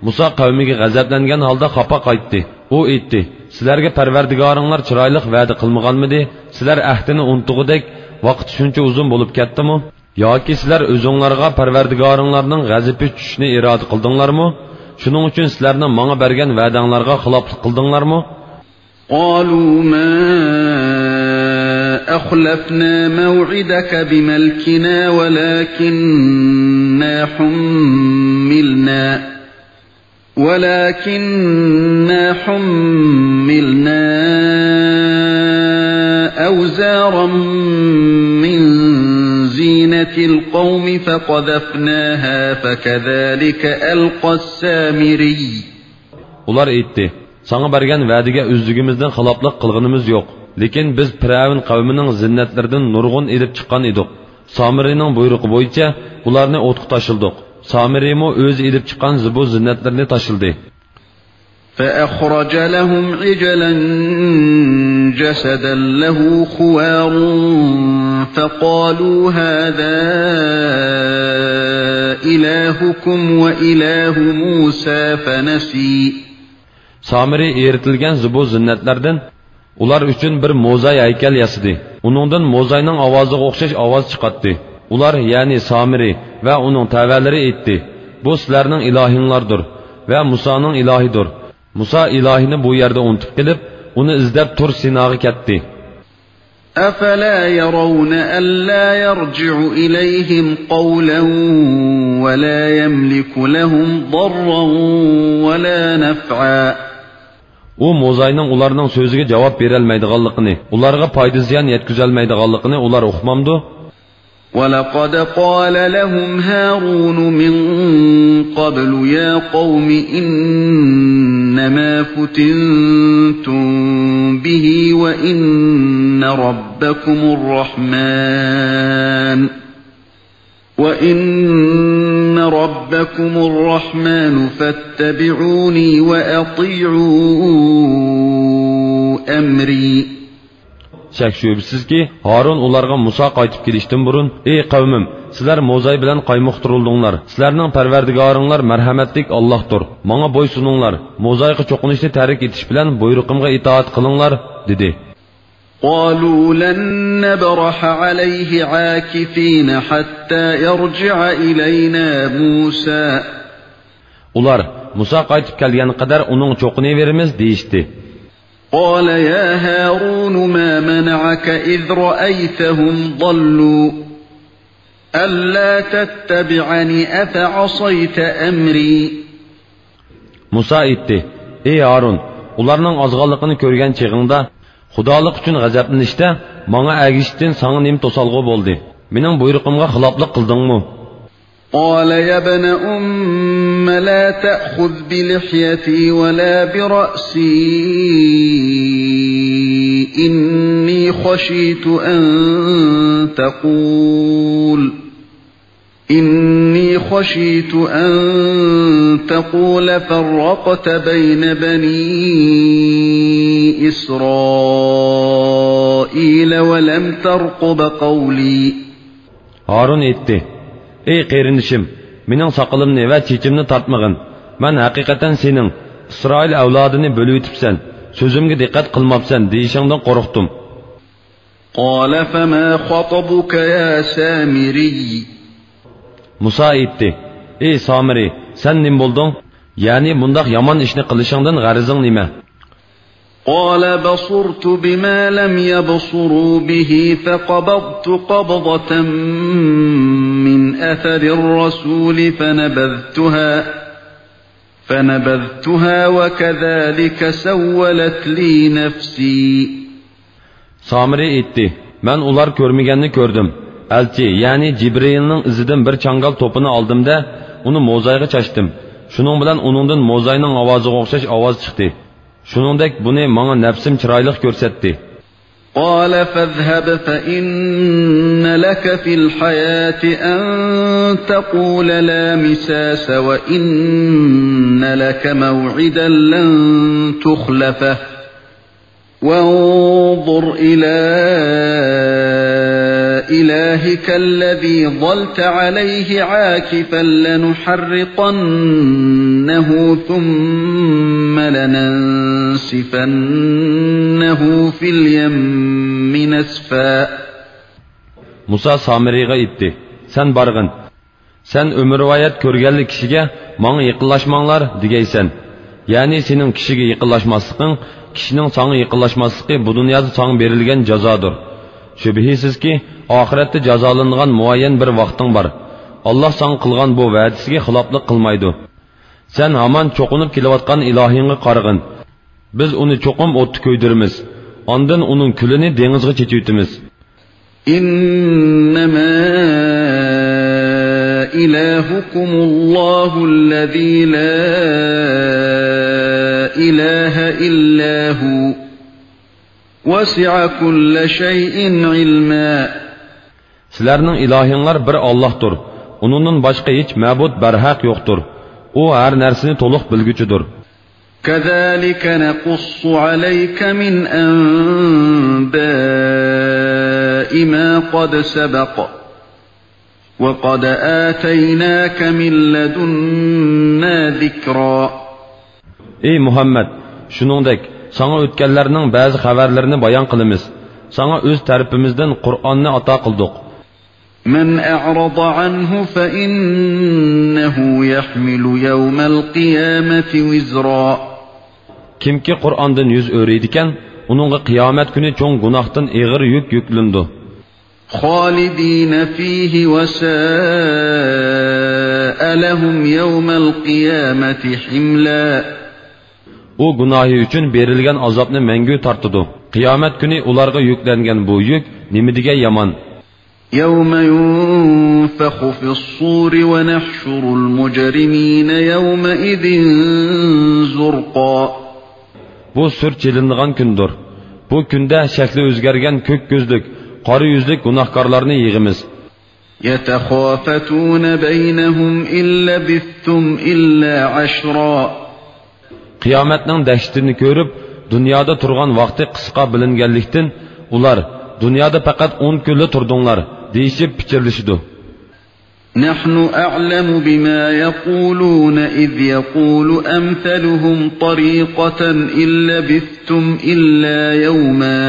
مۇسا قەۋمىگە غەزەپلەنگەن ھالدا خاپا قايتتى. ئۇ ئېيتتى، سىلەرگە پەرۋەردىگارىڭلار چىرايلىق ۋەدە قىلمىغانمىدى؟ سىلەر ئەھدىنى ئۇنتۇغۇدەك ۋاقىت شۇنچە ئۇزۇن بولۇپ كەتتىمۇ؟ ياكى سىلەر ئۆزۈڭلارغا پەرۋەردىگارىڭلارنىڭ غەزىپى چۈشۈشىنى ئىرادە قىلدىڭلارمۇ؟ شۇنىڭ ئۈچۈن سىلەرنىڭ ماڭا بەرگەن ۋەدەڭلارغا خىلاپلىق قىلدىڭلارمۇ؟ قالوا ما أخلفنا موعدك بملكنا ولكنا حملنا ولكنا حملنا أوزارا من زينة القوم فقذفناها فكذلك ألقى السامري. ئۇلار ئېيتتى، ساڭا بەرگەن ۋەدىگە ئۆزلۈكىمىزدىن خىلاپلىق قىلغىنىمىز يوق. لېكىن بىز پىرئەۋن قەۋمىنىڭ زىننەتلىرىدىن نۇرغۇن ئېلىپ چىققان ئىدۇق. سامىرىنىڭ بۇيرۇقى بويىچە ئۇلارنى ئوتقا تاشلىدۇق. سامىرىمۇ ئۆزى ئېلىپ چىققان زىبۇ زىننەتلىرىنى تاشلىدى. فأخرج لهم عجلا جسدا له خوار فقالوا هذا إلهكم وإله موسى فنسي. سامىرى ئېرىتىلگەن زىبۇ زىننەتلەردىن ئۇلار ئۈچۈن بىر موزاي ھەيكەل ياسىدى. ئۇنىڭدىن موزاينىڭ ئاۋازىغا ئوخشاش ئاۋاز چىقاتتى. ئۇلار، يەنى سامىرى ۋە ئۇنىڭ تەۋەلىرى ئېيتتى: «بۇ سىلەرنىڭ ئىلاھىڭلاردۇر ۋە مۇسانىڭ ئىلاھىدۇر.» مۇسا ئىلاھىنى بۇ يەردە ئۇنتۇپ قېلىپ، ئۇنى ئىزدەپ تۇر سىناغا كەتتى. أفلا يرون ألا يرجع إليهم قولا ولا يملك لهم ضرا ولا نفعا. ئۇ موزاينىڭ ئۇلارنىڭ سۆزىگە جاۋاب بېرەلمەيدىغانلىقىنى، ئۇلارغا پايدا زىيان يەتكۈزەلمەيدىغانلىقىنى ئۇلار ئۇقمامدۇ؟ ولقد قال لهم هارون من قبل يا قوم إنما فتنتم به وإن ربكم الرحمن وإن ربكم الرحمن فاتبعوني وأطيعوا أمري. شەك-شۈبھىسىزكى، ھارۇن ئۇلارغا مۇسا قايتىپ كېلىشتىن بۇرۇن: «ئەي قەۋمىم، سىلەر موزاي بىلەن قايمۇقتۇرۇلدۇڭلار. سىلەرنىڭ پەرۋەردىگارىڭلار مەرھەمەتلىك ئاللاھتۇر. ماڭا بويسۇنۇڭلار. موزايغا چوقۇنۇشنى تەرك ئېتىش بىلەن بۇيرۇقۇمغا ئىتائەت قىلىڭلار» دېدى. قالوا لن نبرح عليه عاكفين حتى يرجع إلينا موسى. ئۇلار: «مۇسا قايتىپ كەلگەنگە قەدەر ئۇنىڭغا چوقۇنۇۋېرىمىز» دېيىشتى. قال يا هارون ما منعك إذ رأيتهم ضلوا ألا تتبعني أفعصيت أمري. مۇسا ئېيتتى: «ئەي ھارۇن، ئۇلارنىڭ ئازغانلىقىنى كۆرگەن چېغىڭدا، خۇدالىق ئۈچۈن غەزەپلىنىشتە ماڭا ئەگىشىشتىن ساڭا نېمە توسالغۇ بولدى؟ مېنىڭ بۇيرۇقۇمغا خىلاپلىق قىلدىڭمۇ؟» قال يا ابن أم لا تأخذ بلحيتي ولا برأسي، إني خشيت أن تقول إني خشيت أن تقول فرقت بين بني إسرائيل ولم ترقب قولي. ھارۇن ئېيتتى: «ئەي قېرىندىشىم، مېنىڭ ساقىلىمنى ۋە چېچىمنى تارتمىغىن. مەن ھەقىقەتەن سېنىڭ، ئىسرائىل ئەۋلادىنى بۆلۈۋېتىپسەن، سۆزۈمگە دىققەت قىلماپسەن دېيىشىڭدىن قورقتۇم.» قال فما خطبك يا سامري؟ مۇسا ئېيتتى: «ئەي سامىرى، سەن نېمە بولدۇڭ؟ يەنى بۇنداق يامان ئىشنى قىلىشىڭدىن غەرىزىڭ نېمە؟» قال بصرت بما لم يبصروا به فقبضت قبضة من أثر الرسول فنبذتها فنبذتها وكذلك سولت لي نفسي. سامىرى ئېيتتى: «مەن ئۇلار كۆرمىگەننى كۆردۈم. ئەلچى، يەنى جىبرىئىلنىڭ ئىزىدىن بىر چاڭگال توپىنى ئالدىم-دە، ئۇنى موزايغا چاچتىم. شۇنىڭ بىلەن ئۇنىڭدىن موزاينىڭ ئاۋازىغا ئوخشاش ئاۋاز چىقتى. شۇنىڭدەك بۇنى ماڭا نەپسىم چىرايلىق كۆرسەتتى.» قال فاذهب فإن لك في الحياة أن تقول لا مساس وإن لك موعدا لن تخلفه وانظر إلى إلهك الذي ظلت عليه عاكفا لنحرقنه ثم لننسفنه في اليم نسفا. مۇسا سامىرىغا ئېيتتى: «سەن بارغىن. سەن ئۆمۈرۋايەت كۆرگەنلا كىشىگە ماڭا يېقىنلاشماڭلار دېگەيسەن. يەنى سېنىڭ كىشىگە يېقىنلاشماسلىقىڭ، كىشىنىڭ ساڭا يېقىنلاشماسلىقى بۇ دۇنيادا ساڭا بېرىلگەن جازادۇر. شۈبھىسىزكى، ئاخىرەتتە جازالىنىدىغان مۇئەييەن بىر ۋاقتىڭ بار. ئاللاھ ساڭا قىلغان بۇ ۋەدىسىگە خىلاپلىق قىلمايدۇ. سەن ھامان چوقۇنۇپ كېلىۋاتقان ئىلاھىڭغا قارىغىن. بىز ئۇنى چوقۇم ئوتتا كۆيدۈرىمىز. ئاندىن ئۇنىڭ كۈلىنى دېڭىزغا چېچىۋېتىمىز.» إنما إلهكم الله الذي لا إله إلا هو وسع كل شيء علما. سىلەرنىڭ ئىلاھىڭلار بىر ئاللاھتۇر. ئۇنىڭدىن باشقا ھېچ مەبۇد بەرھەق يوقتۇر. ئۇ ھەر نەرسىنى تولۇق بىلگۈچىدۇر. كذلك نقص عليك من أنباء ما قد سبق وقد آتيناك من لدنا ذكرا. ئەي مۇھەممەد، شۇنىڭدەك ساڭا ئۆتكەنلەرنىڭ بەزى خەۋەرلىرىنى بايان قىلىمىز. ساڭا ئۆز تەرىپىمىزدىن قۇرئاننى ئاتا قىلدۇق. من أعرض عنه فإنه يحمل يوم القيامة وزرا. كىمكى قۇرئاندىن يۈز ئۆرۈيدىكەن، ئۇنىڭغا قىيامەت كۈنى چوڭ گۇناھتىن ئېغىر يۈك يۈكلىنىدۇ. خالدين فيه وساء لهم يوم القيامة حملا. ئۇ گۇناھى ئۈچۈن بېرىلگەن ئازابنى مەڭگۈ تارتىدۇ. قىيامەت كۈنى ئۇلارغا يۈكلەنگەن بۇ يۈك نېمىدېگەن يامان! يوم ينفخ في الصور ونحشر المجرمين يومئذ زرقا. بۇ سۈر چېلىنىدىغان كۈندۇر. بۇ كۈندە شەكلى ئۆزگەرگەن كۆك كۆزلۈك، قارا يۈزلۈك گۇناھكارلارنى يىغىمىز. يتخافتون بينهم إن لبثتم إلا عشرا. قىيامەتنىڭ دەھشىتىنى كۆرۈپ، دۇنيادا تۇرغان ۋاقتى قىسقا بىلىنگەنلىكتىن، ئۇلار، دۇنيادا پەقەت ئون كۈنلا تۇردۇڭلار، دېيىشىپ پىچىرلىشىدۇ. نحن أعلم بما يقولون إذ يقول أمثلهم طريقة إن لبثتم إلا يوما.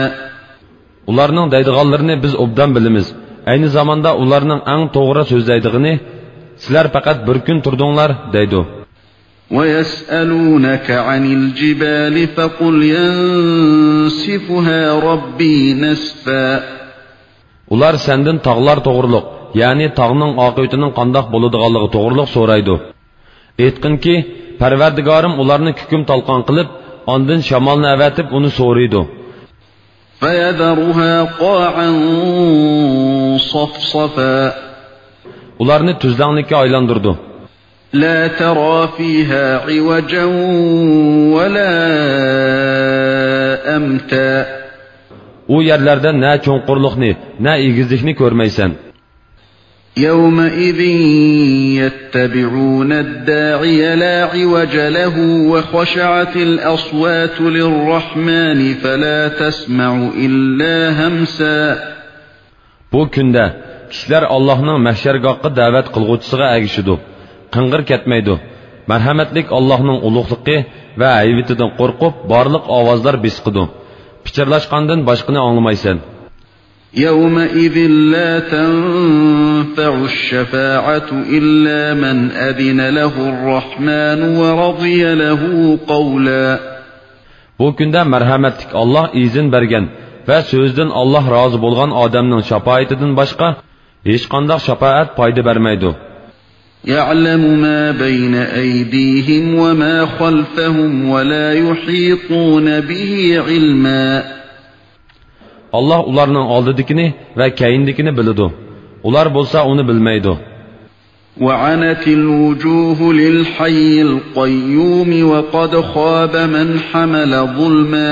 ئۇلارنىڭ دەيدىغانلىرىنى بىز ئوبدان بىلىمىز. ئەينى زاماندا ئۇلارنىڭ ئەڭ توغرا سۆزلەيدىغىنى، سىلەر پەقەت بىر كۈن تۇردۇڭلار، دەيدۇ. ويسألونك عن الجبال فقل ينسفها ربي نسفا. ئۇلار سەندىن تاغلار توغرۇلۇق، يەنى تاغنىڭ ئاقىۋىتىنىڭ قانداق بولىدىغانلىقى توغرۇلۇق سورايدۇ. ئېيتقىنكى، پەرۋەردىگارىم ئۇلارنى كۈكۈم تالقان قىلىپ، ئاندىن شامالنى ئەۋەتىپ ئۇنى سورۇيدۇ. فيذرها قاعا صفصفا. ئۇلارنى تۈزلەڭلىككە ئايلاندۇرىدۇ. لا ترى فيها عوجا ولا أمتا. ئۇ يەرلەردە نە چوڭقۇرلۇقنى، نە ئېگىزلىكنى كۆرمەيسەن. يومئذ يتبعون الداعي لا عوج له وخشعت الأصوات للرحمن فلا تسمع إلا همسا. بۇ كۈندە كىشىلەر ئاللاھنىڭ مەھشەرگاھقا دەۋەت قىلغۇچىسىغا ئەگىشىدۇ، قىڭغىر كەتمەيدۇ. مەرھەمەتلىك ئاللاھنىڭ ئۇلۇغلۇقى ۋە ھەيۋىتىدىن قورقۇپ، بارلىق ئاۋازلار بېسىقىدۇ. پىچىرلاشقاندىن باشقىنى ئاڭلىمايسەن. يومئذ لا تنفع الشفاعة إلا من أذن له الرحمن ورضي له قولا. بۇ كۈندە مەرھەمەتلىك ئاللاھ ئىزىن بەرگەن ۋە سۆزىدىن ئاللاھ رازى بولغان ئادەمنىڭ شاپائىتىدىن باشقا ھېچقانداق شاپائەت پايدا بەرمەيدۇ. يعلم ما بين أيديهم وما خلفهم ولا يحيطون به علما. ئاللاھ ئۇلارنىڭ ئالدىدىكىنى ۋە كەينىدىكىنى بىلىدۇ. ئۇلار بولسا ئۇنى بىلمەيدۇ. وعنت الوجوه للحي القيوم وقد خاب من حمل ظلما.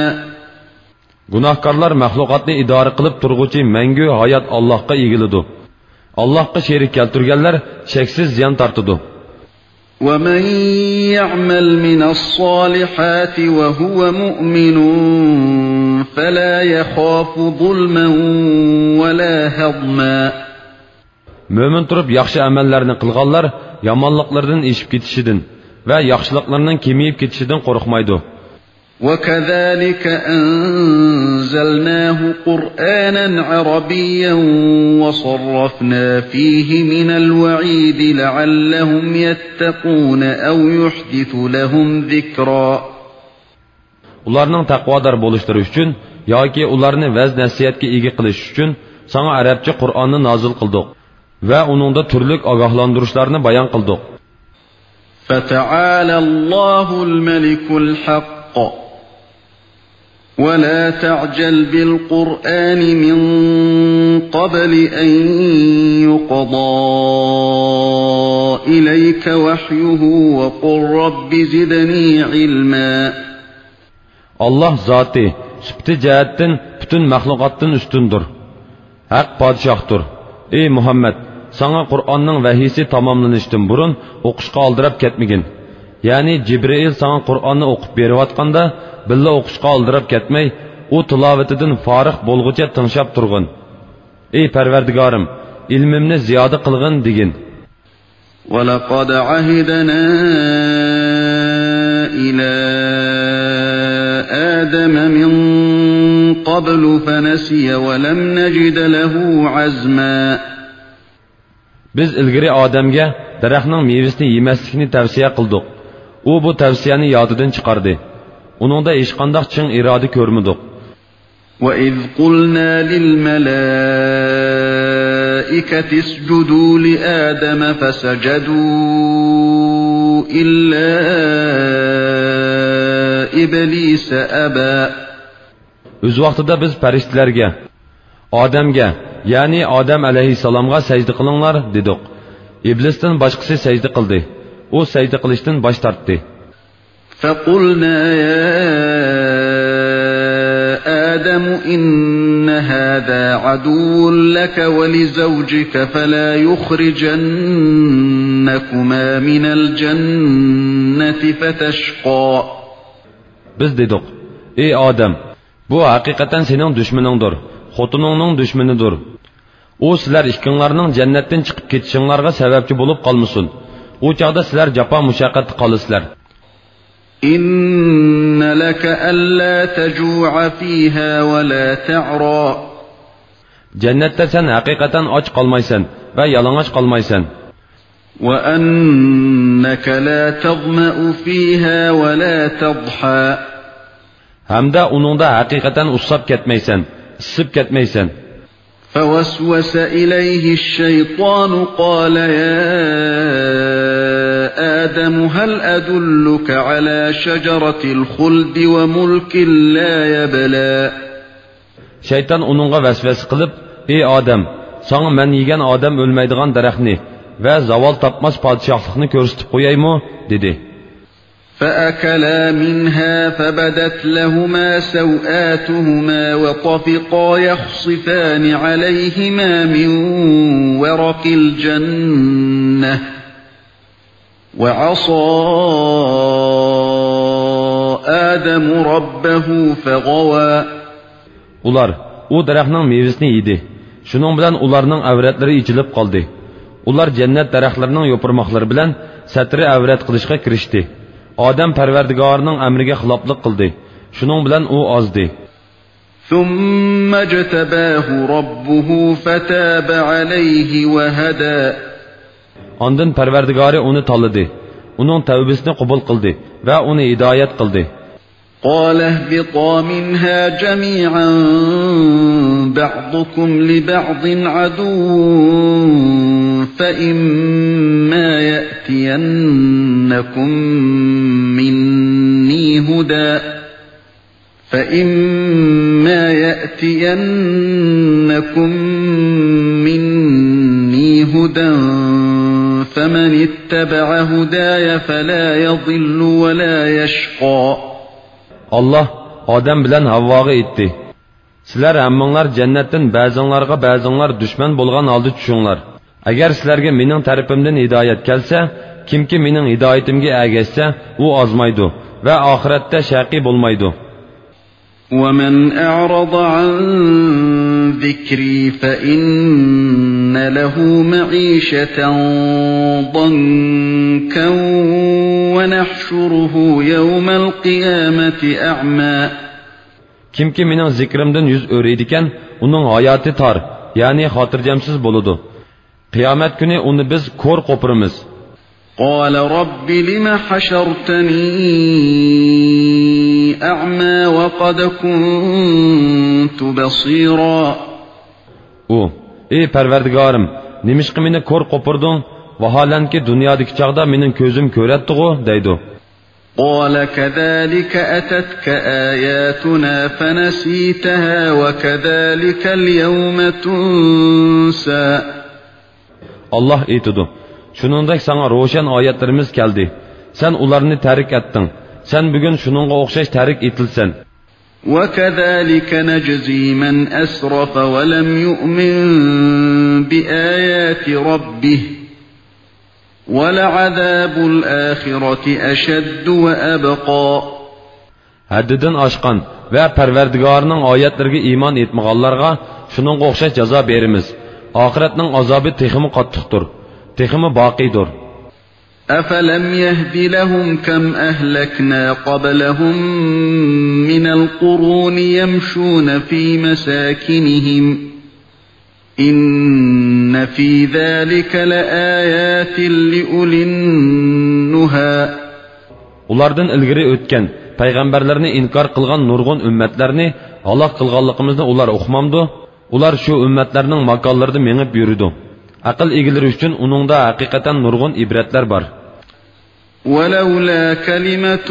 گۇناھكارلار مەخلۇقاتنى ئىدارە قىلىپ تۇرغۇچى مەڭگۈ ھايات ئاللاھقا ئېگىلىدۇ. ئاللاھقا شېرىك كەلتۈرگەنلەر شەكسىز زىيان تارتىدۇ. ومن يعمل من الصالحات وهو مؤمن فلا يخاف ظلما ولا هضما. مۆمىن تۇرۇپ ياخشى ئەمەللەرنى قىلغانلار يامانلىقلىرىدىن ئېشىپ كېتىشىدىن ۋە ياخشىلىقلىرىنىڭ كېمىيىپ كېتىشىدىن قورقمايدۇ. وكذلك أنزلناه قرآنا عربيا وصرفنا فيه من الوعيد لعلهم يتقون أو يحدث لهم ذكرا. ئۇلارنىڭ تەقۋادار بولۇشلىرى ئۈچۈن ياكى ئۇلارنى ۋەز-نەسىھەتكە ئىگە قىلىش ئۈچۈن ساڭا ئەرەبچە قۇرئاننى نازىل قىلدۇق ۋە ئۇنىڭدا تۈرلۈك ئاگاھلاندۇرۇشلارنى بايان قىلدۇق. فتعالى الله الملك الحق ولا تعجل بالقرآن من قبل أن يقضى إليك وحيه وقل رب زدني علما. ئاللاھ زاتى، سۈپىتى جەھەتتىن پۈتۈن مەخلۇقاتتىن ئۈستۈندۇر. ھەق پادىشاھتۇر. ئى مۇھەممەد، ساڭا قۇرئاننىڭ ۋەھىيسى تاماملىنىشتىن بۇرۇن ئوقۇشقا ئالدىراپ كەتمىگىن. يەنى جىبرىئىل ساڭا قۇرئاننى ئوقۇپ بېرىۋاتقاندا بىللە ئوقۇشقا ئالدىراپ كەتمەي، ئۇ تىلاۋىتىدىن فارىغ بولغۇچە تىڭشاپ تۇرغىن. ئى پەرۋەردىگارىم، ئىلمىمنى زىيادە قىلغىن دېگىن. ولقد عهدنا إلى آدم من قبل فنسي ولم نجد له عزما. بىز ئىلگىرى ئادەمگە دەرەخنىڭ مېۋىسىنى يېمەسلىكنى تەۋسىيە قىلدۇق. ئۇ بۇ تەۋسىيەنى يادىدىن چىقاردى. ئۇنىڭدا ھېچقانداق چىڭ ئىرادە كۆرمىدۇق. وإذ قلنا للملائكة اسجدوا لآدم فسجدوا إلا إبليس أبى. ئۆز ۋاقتىدا بىز پەرىشتىلەرگە، ئادەمگە، يەنى ئادەم ئەلەيھىسسالامغا سەجدە قىلىڭلار دېدۇق. ئىبلىستىن باشقىسى سەجدە قىلدى. ئۇ سەجدە قىلىشتىن باش تارتتى. فقلنا يا آدم إن هذا عدو لك ولزوجك فلا يخرجنكما من الجنة فتشقى. بىز دېدۇق: ئى ئادەم، بۇ ھەقىقەتەن سېنىڭ دۈشمىنىڭدۇر، خوتۇنۇڭنىڭ دۈشمىنىدۇر. ئۇ سىلەر ئىككىڭلارنىڭ جەننەتتىن چىقىپ كېتىشىڭلارغا سەۋەبچى بولۇپ قالمىسۇن. ئۇ چاغدا سىلەر جاپا مۇشەققەتتە قالىسىلەر. إن لك ألا تجوع فيها ولا تعرى. جەننەتتە سەن ھەقىقەتەن ئاچ قالمايسەن ۋە يالىڭاچ قالمايسەن. وأنك لا تظمأ فيها ولا تضحى. ھەمدە ئۇنىڭدا ھەقىقەتەن ئۇسساپ كەتمەيسەن، ئىسسىپ كەتمەيسەن. فوسوس إليه الشيطان قال يا آدم هل أدلك على شجرة الخلد وملك لا يبلى. شەيتان ئۇنىڭغا ۋەسۋەسە قىلىپ: ئى ئادەم، ساڭا مەن يېگەن ئادەم ئۆلمەيدىغان دەرەخنى ۋە زاۋال تاپماس پادىشاھلىقنى كۆرسىتىپ قويايمۇ؟ دېدى. فأكلا منها فبدت لهما سوآتهما وطفقا يخصفان عليهما من ورق الجنة وعصى آدم ربه فغوى. ئۇلار ئۇ دەرەخنىڭ مېۋىسىنى يېدى. شۇنىڭ بىلەن ئۇلارنىڭ ئەۋرەتلىرى ئېچىلىپ قالدى. ئۇلار جەننەت دەرەخلىرىنىڭ يوپۇرماقلىرى بىلەن سەترى ئەۋرەت قىلىشقا كىرىشتى. ئادەم پەرۋەردىگارىنىڭ ئەمرىگە خىلاپلىق قىلدى. شۇنىڭ بىلەن ئۇ ئازدى. ثم اجتباه ربه فتاب عليه وهدى. ئاندىن پەرۋەردىگارى ئۇنى تاللىدى، ئۇنىڭ تەۋبىسىنى قوبۇل قىلدى ۋە ئۇنى ھىدايەت قىلدى. قال اهبطا منها جميعا بعضكم لبعض عدو فإما يأتينكم مني هدى فإما يأتينكم مني هدى فمن اتبع هداي فلا يضل ولا يشقى. ئاللاھ ئادەم بىلەن ھەۋۋاغا ئېيتتى: سىلەر ھەممىڭلار جەننەتتىن بەزىڭلارغا بەزىڭلار دۈشمەن بولغان ھالدا چۈشۈڭلار. ئەگەر سىلەرگە مېنىڭ تەرىپىمدىن ھىدايەت كەلسە، كىمكى مېنىڭ ھىدايىتىمگە ئەگەشسە، ئۇ ئازمايدۇ ۋە ئاخىرەتتە شەقىي بولمايدۇ. ومن أعرض عن ذكري فإن له معيشة ضنكا ونحشره يوم القيامة أعمى. كىمكى مېنىڭ زىكرىمدىن يۈز ئۆرۈيدىكەن، ئۇنىڭ ھاياتى تار، يەنى خاتىرجەمسىز بولىدۇ. قىيامەت كۈنى ئۇنى بىز كور قوپۇرىمىز. قال رب لم حشرتني أعمى وقد كنت بصيرا. ئۇ: ئى پەرۋەردىگارىم، نېمىشقا مېنى كور قوپۇردۇڭ؟ ۋاھالەنكى دۇنيادىكى چاغدا مېنىڭ كۆزۈم كۆرەتتىغۇ، دەيدۇ. قال كذلك أتتك آياتنا فنسيتها وكذلك اليوم تنسى. ئاللاھ ئېيتىدۇ: شۇنىڭدەك ساڭا روشەن ئايەتلىرىمىز كەلدى. سەن ئۇلارنى تەرك ئەتتىڭ. سەن بۈگۈن شۇنىڭغا ئوخشاش تەرك ئېتىلىسەن. وكذلك نجزي من أسرف ولم يؤمن بآيات ربه ولعذاب الآخرة أشد وأبقى. ھەددىدىن ئاشقان ۋە پەرۋەردىگارىنىڭ ئايەتلىرىگە ئىمان ئېيتمىغانلارغا شۇنىڭغا ئوخشاش جازا بېرىمىز. ئاخىرەتنىڭ ئازابى تېخىمۇ قاتتىقتۇر، تېخىمۇ باقىيدۇر. أَفَلَمْ يَهْدِ لَهُمْ كَمْ أَهْلَكْنَا قَبْلَهُمْ مِنَ الْقُرُونِ يَمْشُونَ فِي مَسَاكِنِهِمْ إِنَّ فِي ذَلِكَ لَآيَاتٍ لِأُولِي النُّهَى. ئۇلاردىن ئىلگىرى ئۆتكەن پەيغەمبەرلەرنى ئىنكار قىلغان نۇرغۇن ئۈممەتلەرنى ھالاك قىلغانلىقىمىزنى ئۇلار ئۇقمامدۇ؟ ئۇلار شۇ ئۈممەتلەرنىڭ ماكانلىرىدا مېڭىپ يۈرىدۇ. ئەقىل ئىگىلىرى ئۈچۈن ئۇنىڭدا ھەقىقەتەن نۇرغۇن ئىبرەتلەر بار. وَلَوْلَا كَلِمَةٌ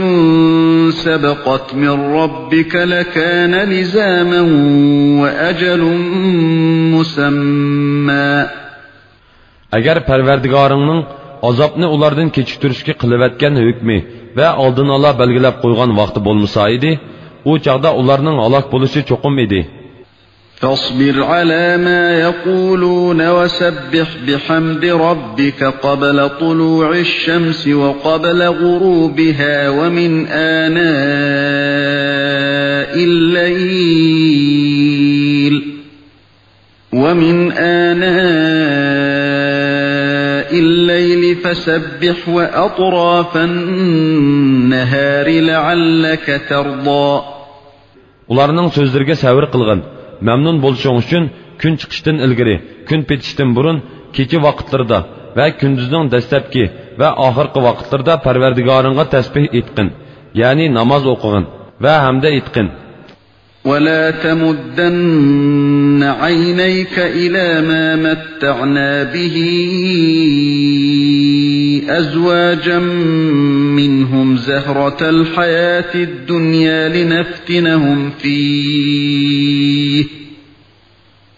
سَبَقَتْ مِنْ رَبِّكَ لَكَانَ لِزَامًا وَأَجَلٌ مُسَمًّى. ئەگەر پەرۋەردىگارىڭنىڭ ئازابنى ئۇلاردىن كېچىكتۈرۈشكە قىلىۋەتكەن ھۆكمى ۋە ئالدىنئالا بەلگىلەپ قويغان ۋاقتى بولمىسا ئىدى، ئۇ چاغدا ئۇلارنىڭ ھالاك بولۇشى چوقۇم ئىدى. فَاصْبِرْ عَلَى مَا يَقُولُونَ وَسَبِّحْ بِحَمْدِ رَبِّكَ قَبْلَ طُلُوعِ الشَّمْسِ وَقَبْلَ غُرُوبِهَا وَمِنْ آنَاءِ اللَّيْلِ وَمِنْ آنَاءِ اللَّيْلِ فَسَبِّحْ وَأَطْرَافَ النَّهَارِ لَعَلَّكَ تَرْضَى. ئۇلارنىڭ سۆزلىرىگە سەۋر قىلغىن. مەمنۇن بولۇشۇڭ ئۈچۈن كۈن چىقىشتىن ئىلگىرى، كۈن پېتىشتىن بۇرۇن، كېچە ۋاقىتلىرىدا ۋە كۈندۈزنىڭ دەسلەپكى ۋە ئاخىرقى ۋاقىتلىرىدا پەرۋەردىگارىڭغا تەسبىھ ئېيتقىن، يەنى ناماز ئوقۇغىن ۋە ھەمدە ئېيتقىن. وَلَا تَمُدَّنَّ عَيْنَيْكَ إِلَى مَا مَتَّعْنَا بِهِ أَزْوَاجًا مِنْهُمْ زَهْرَةَ الْحَيَاةِ الدُّنْيَا لِنَفْتِنَهُمْ فِيهِ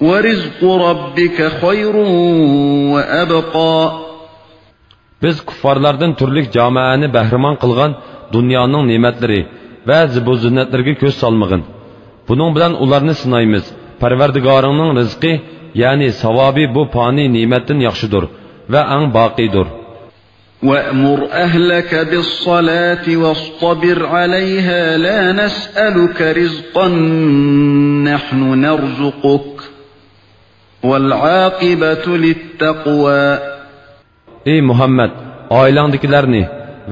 وَرِزْقُ رَبِّكَ خَيْرٌ وَأَبْقَى. بىز كۇففارلاردىن تۈرلۈك جامائەنى بەھرىمەن قىلغان دۇنيانىڭ نېمەتلىرى ۋە زىبۇ زىننەتلىرىگە كۆز سالمىغىن. بۇنىڭ بىلەن ئۇلارنى سىنايمىز. پەرۋەردىگارىڭنىڭ رىزقى، يەنى ساۋابى بۇ پانىي نېمەتتىن ياخشىدۇر ۋە ئەڭ باقىيدۇر. وَأْمُرْ أَهْلَكَ بِالصَّلَاةِ وَاصْطَبِرْ عَلَيْهَا لَا نَسْأَلُكَ رِزْقًا نَحْنُ نَرْزُقُكَ وَالْعَاقِبَةُ لِلتَّقْوَى. ئى مۇھەممەد، ئائىلەڭدىكىلەرنى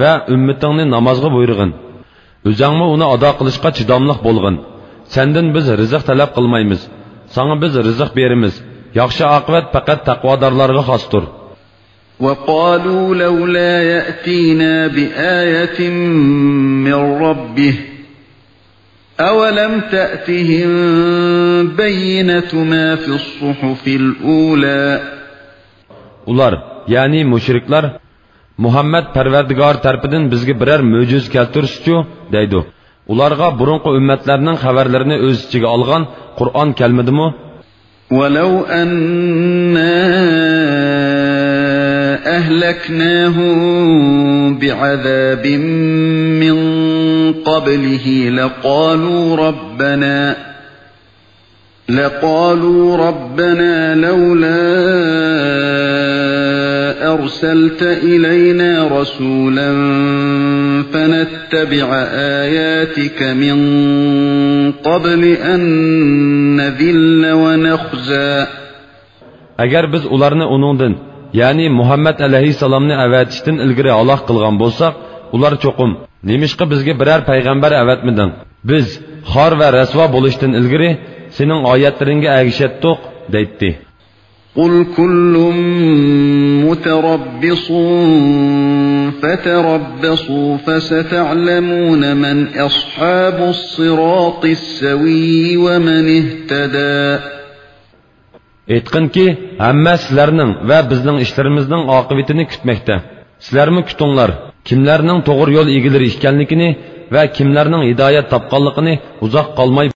ۋە ئۈممىتىڭنى نامازغا بۇيرۇغىن. ئۆزەڭمۇ ئۇنى ئادا قىلىشقا چىداملىق بولغىن. سەندىن بىز رىزىق تەلەپ قىلمايمىز. ساڭا بىز رىزىق بېرىمىز. ياخشى ئاقىۋەت پەقەت تەقۋادارلارغا خاستۇر. وَقَالُوا لَوْلَا يَأْتِينَا بِآيَةٍ مِّن رَّبِّهِ أَوَلَمْ تَأْتِهِم بَيِّنَةُ مَا فِي الصُّحُفِ الْأُولَىٰ. ئۇلار، يەنى مۇشرىكلار، مۇھەممەد پەرۋەردىگار تەرىپىدىن بىزگە بىرەر مۆجىزە كەلتۈرسىچۇ؟ دەيدۇ. ئۇلارغا بۇرۇنقى ئۈممەتلەرنىڭ خەۋەرلىرىنى ئۆز ئىچىگە ئالغان قۇرئان كەلمىدىمۇ؟ وَلَوْ أَنَّا أَهْلَكْنَاهُم بِعَذَابٍ مِّن قَبْلِهِ لَقَالُوا رَبَّنَا، لَقَالُوا رَبَّنَا لَوْلَا أَرْسَلْتَ إِلَيْنَا رَسُولًا فَنَتَّبِعَ آيَاتِكَ مِن قَبْلِ أَن نَّذِلَّ وَنَخْزَىٰ. ئەگەر بىز ئۇلارنى ئۇنىڭدىن، يەنى مۇھەممەد ئەلەيھىسسالامنى ئەۋەتىشتىن ئىلگىرى ھالاك قىلغان بولساق، ئۇلار چوقۇم، نېمىشقا بىزگە بىرەر پەيغەمبەر ئەۋەتمىدىڭ؟ بىز خار ۋە رەسۋا بولۇشتىن ئىلگىرى سېنىڭ ئايەتلىرىڭگە ئەگىشەتتۇق، دەيتتى. قُلْ كُلٌّ مُّتَرَبِّصٌ فَتَرَبَّصُوا فَسَتَعْلَمُونَ مَنْ أَصْحَابُ الصِّرَاطِ السَّوِيِّ وَمَنِ اهْتَدَىٰ. ئېيتقىنكى، ھەممە سىلەرنىڭ ۋە بىزنىڭ ئىشلىرىمىزنىڭ ئاقىۋىتىنى كۈتمەكتە. سىلەرمۇ كۈتۈڭلار، كىملەرنىڭ توغرا يول ئىگىلىرى ئىكەنلىكىنى ۋە كىملەرنىڭ ھىدايەت تاپقانلىقىنى ئۇزاق قالماي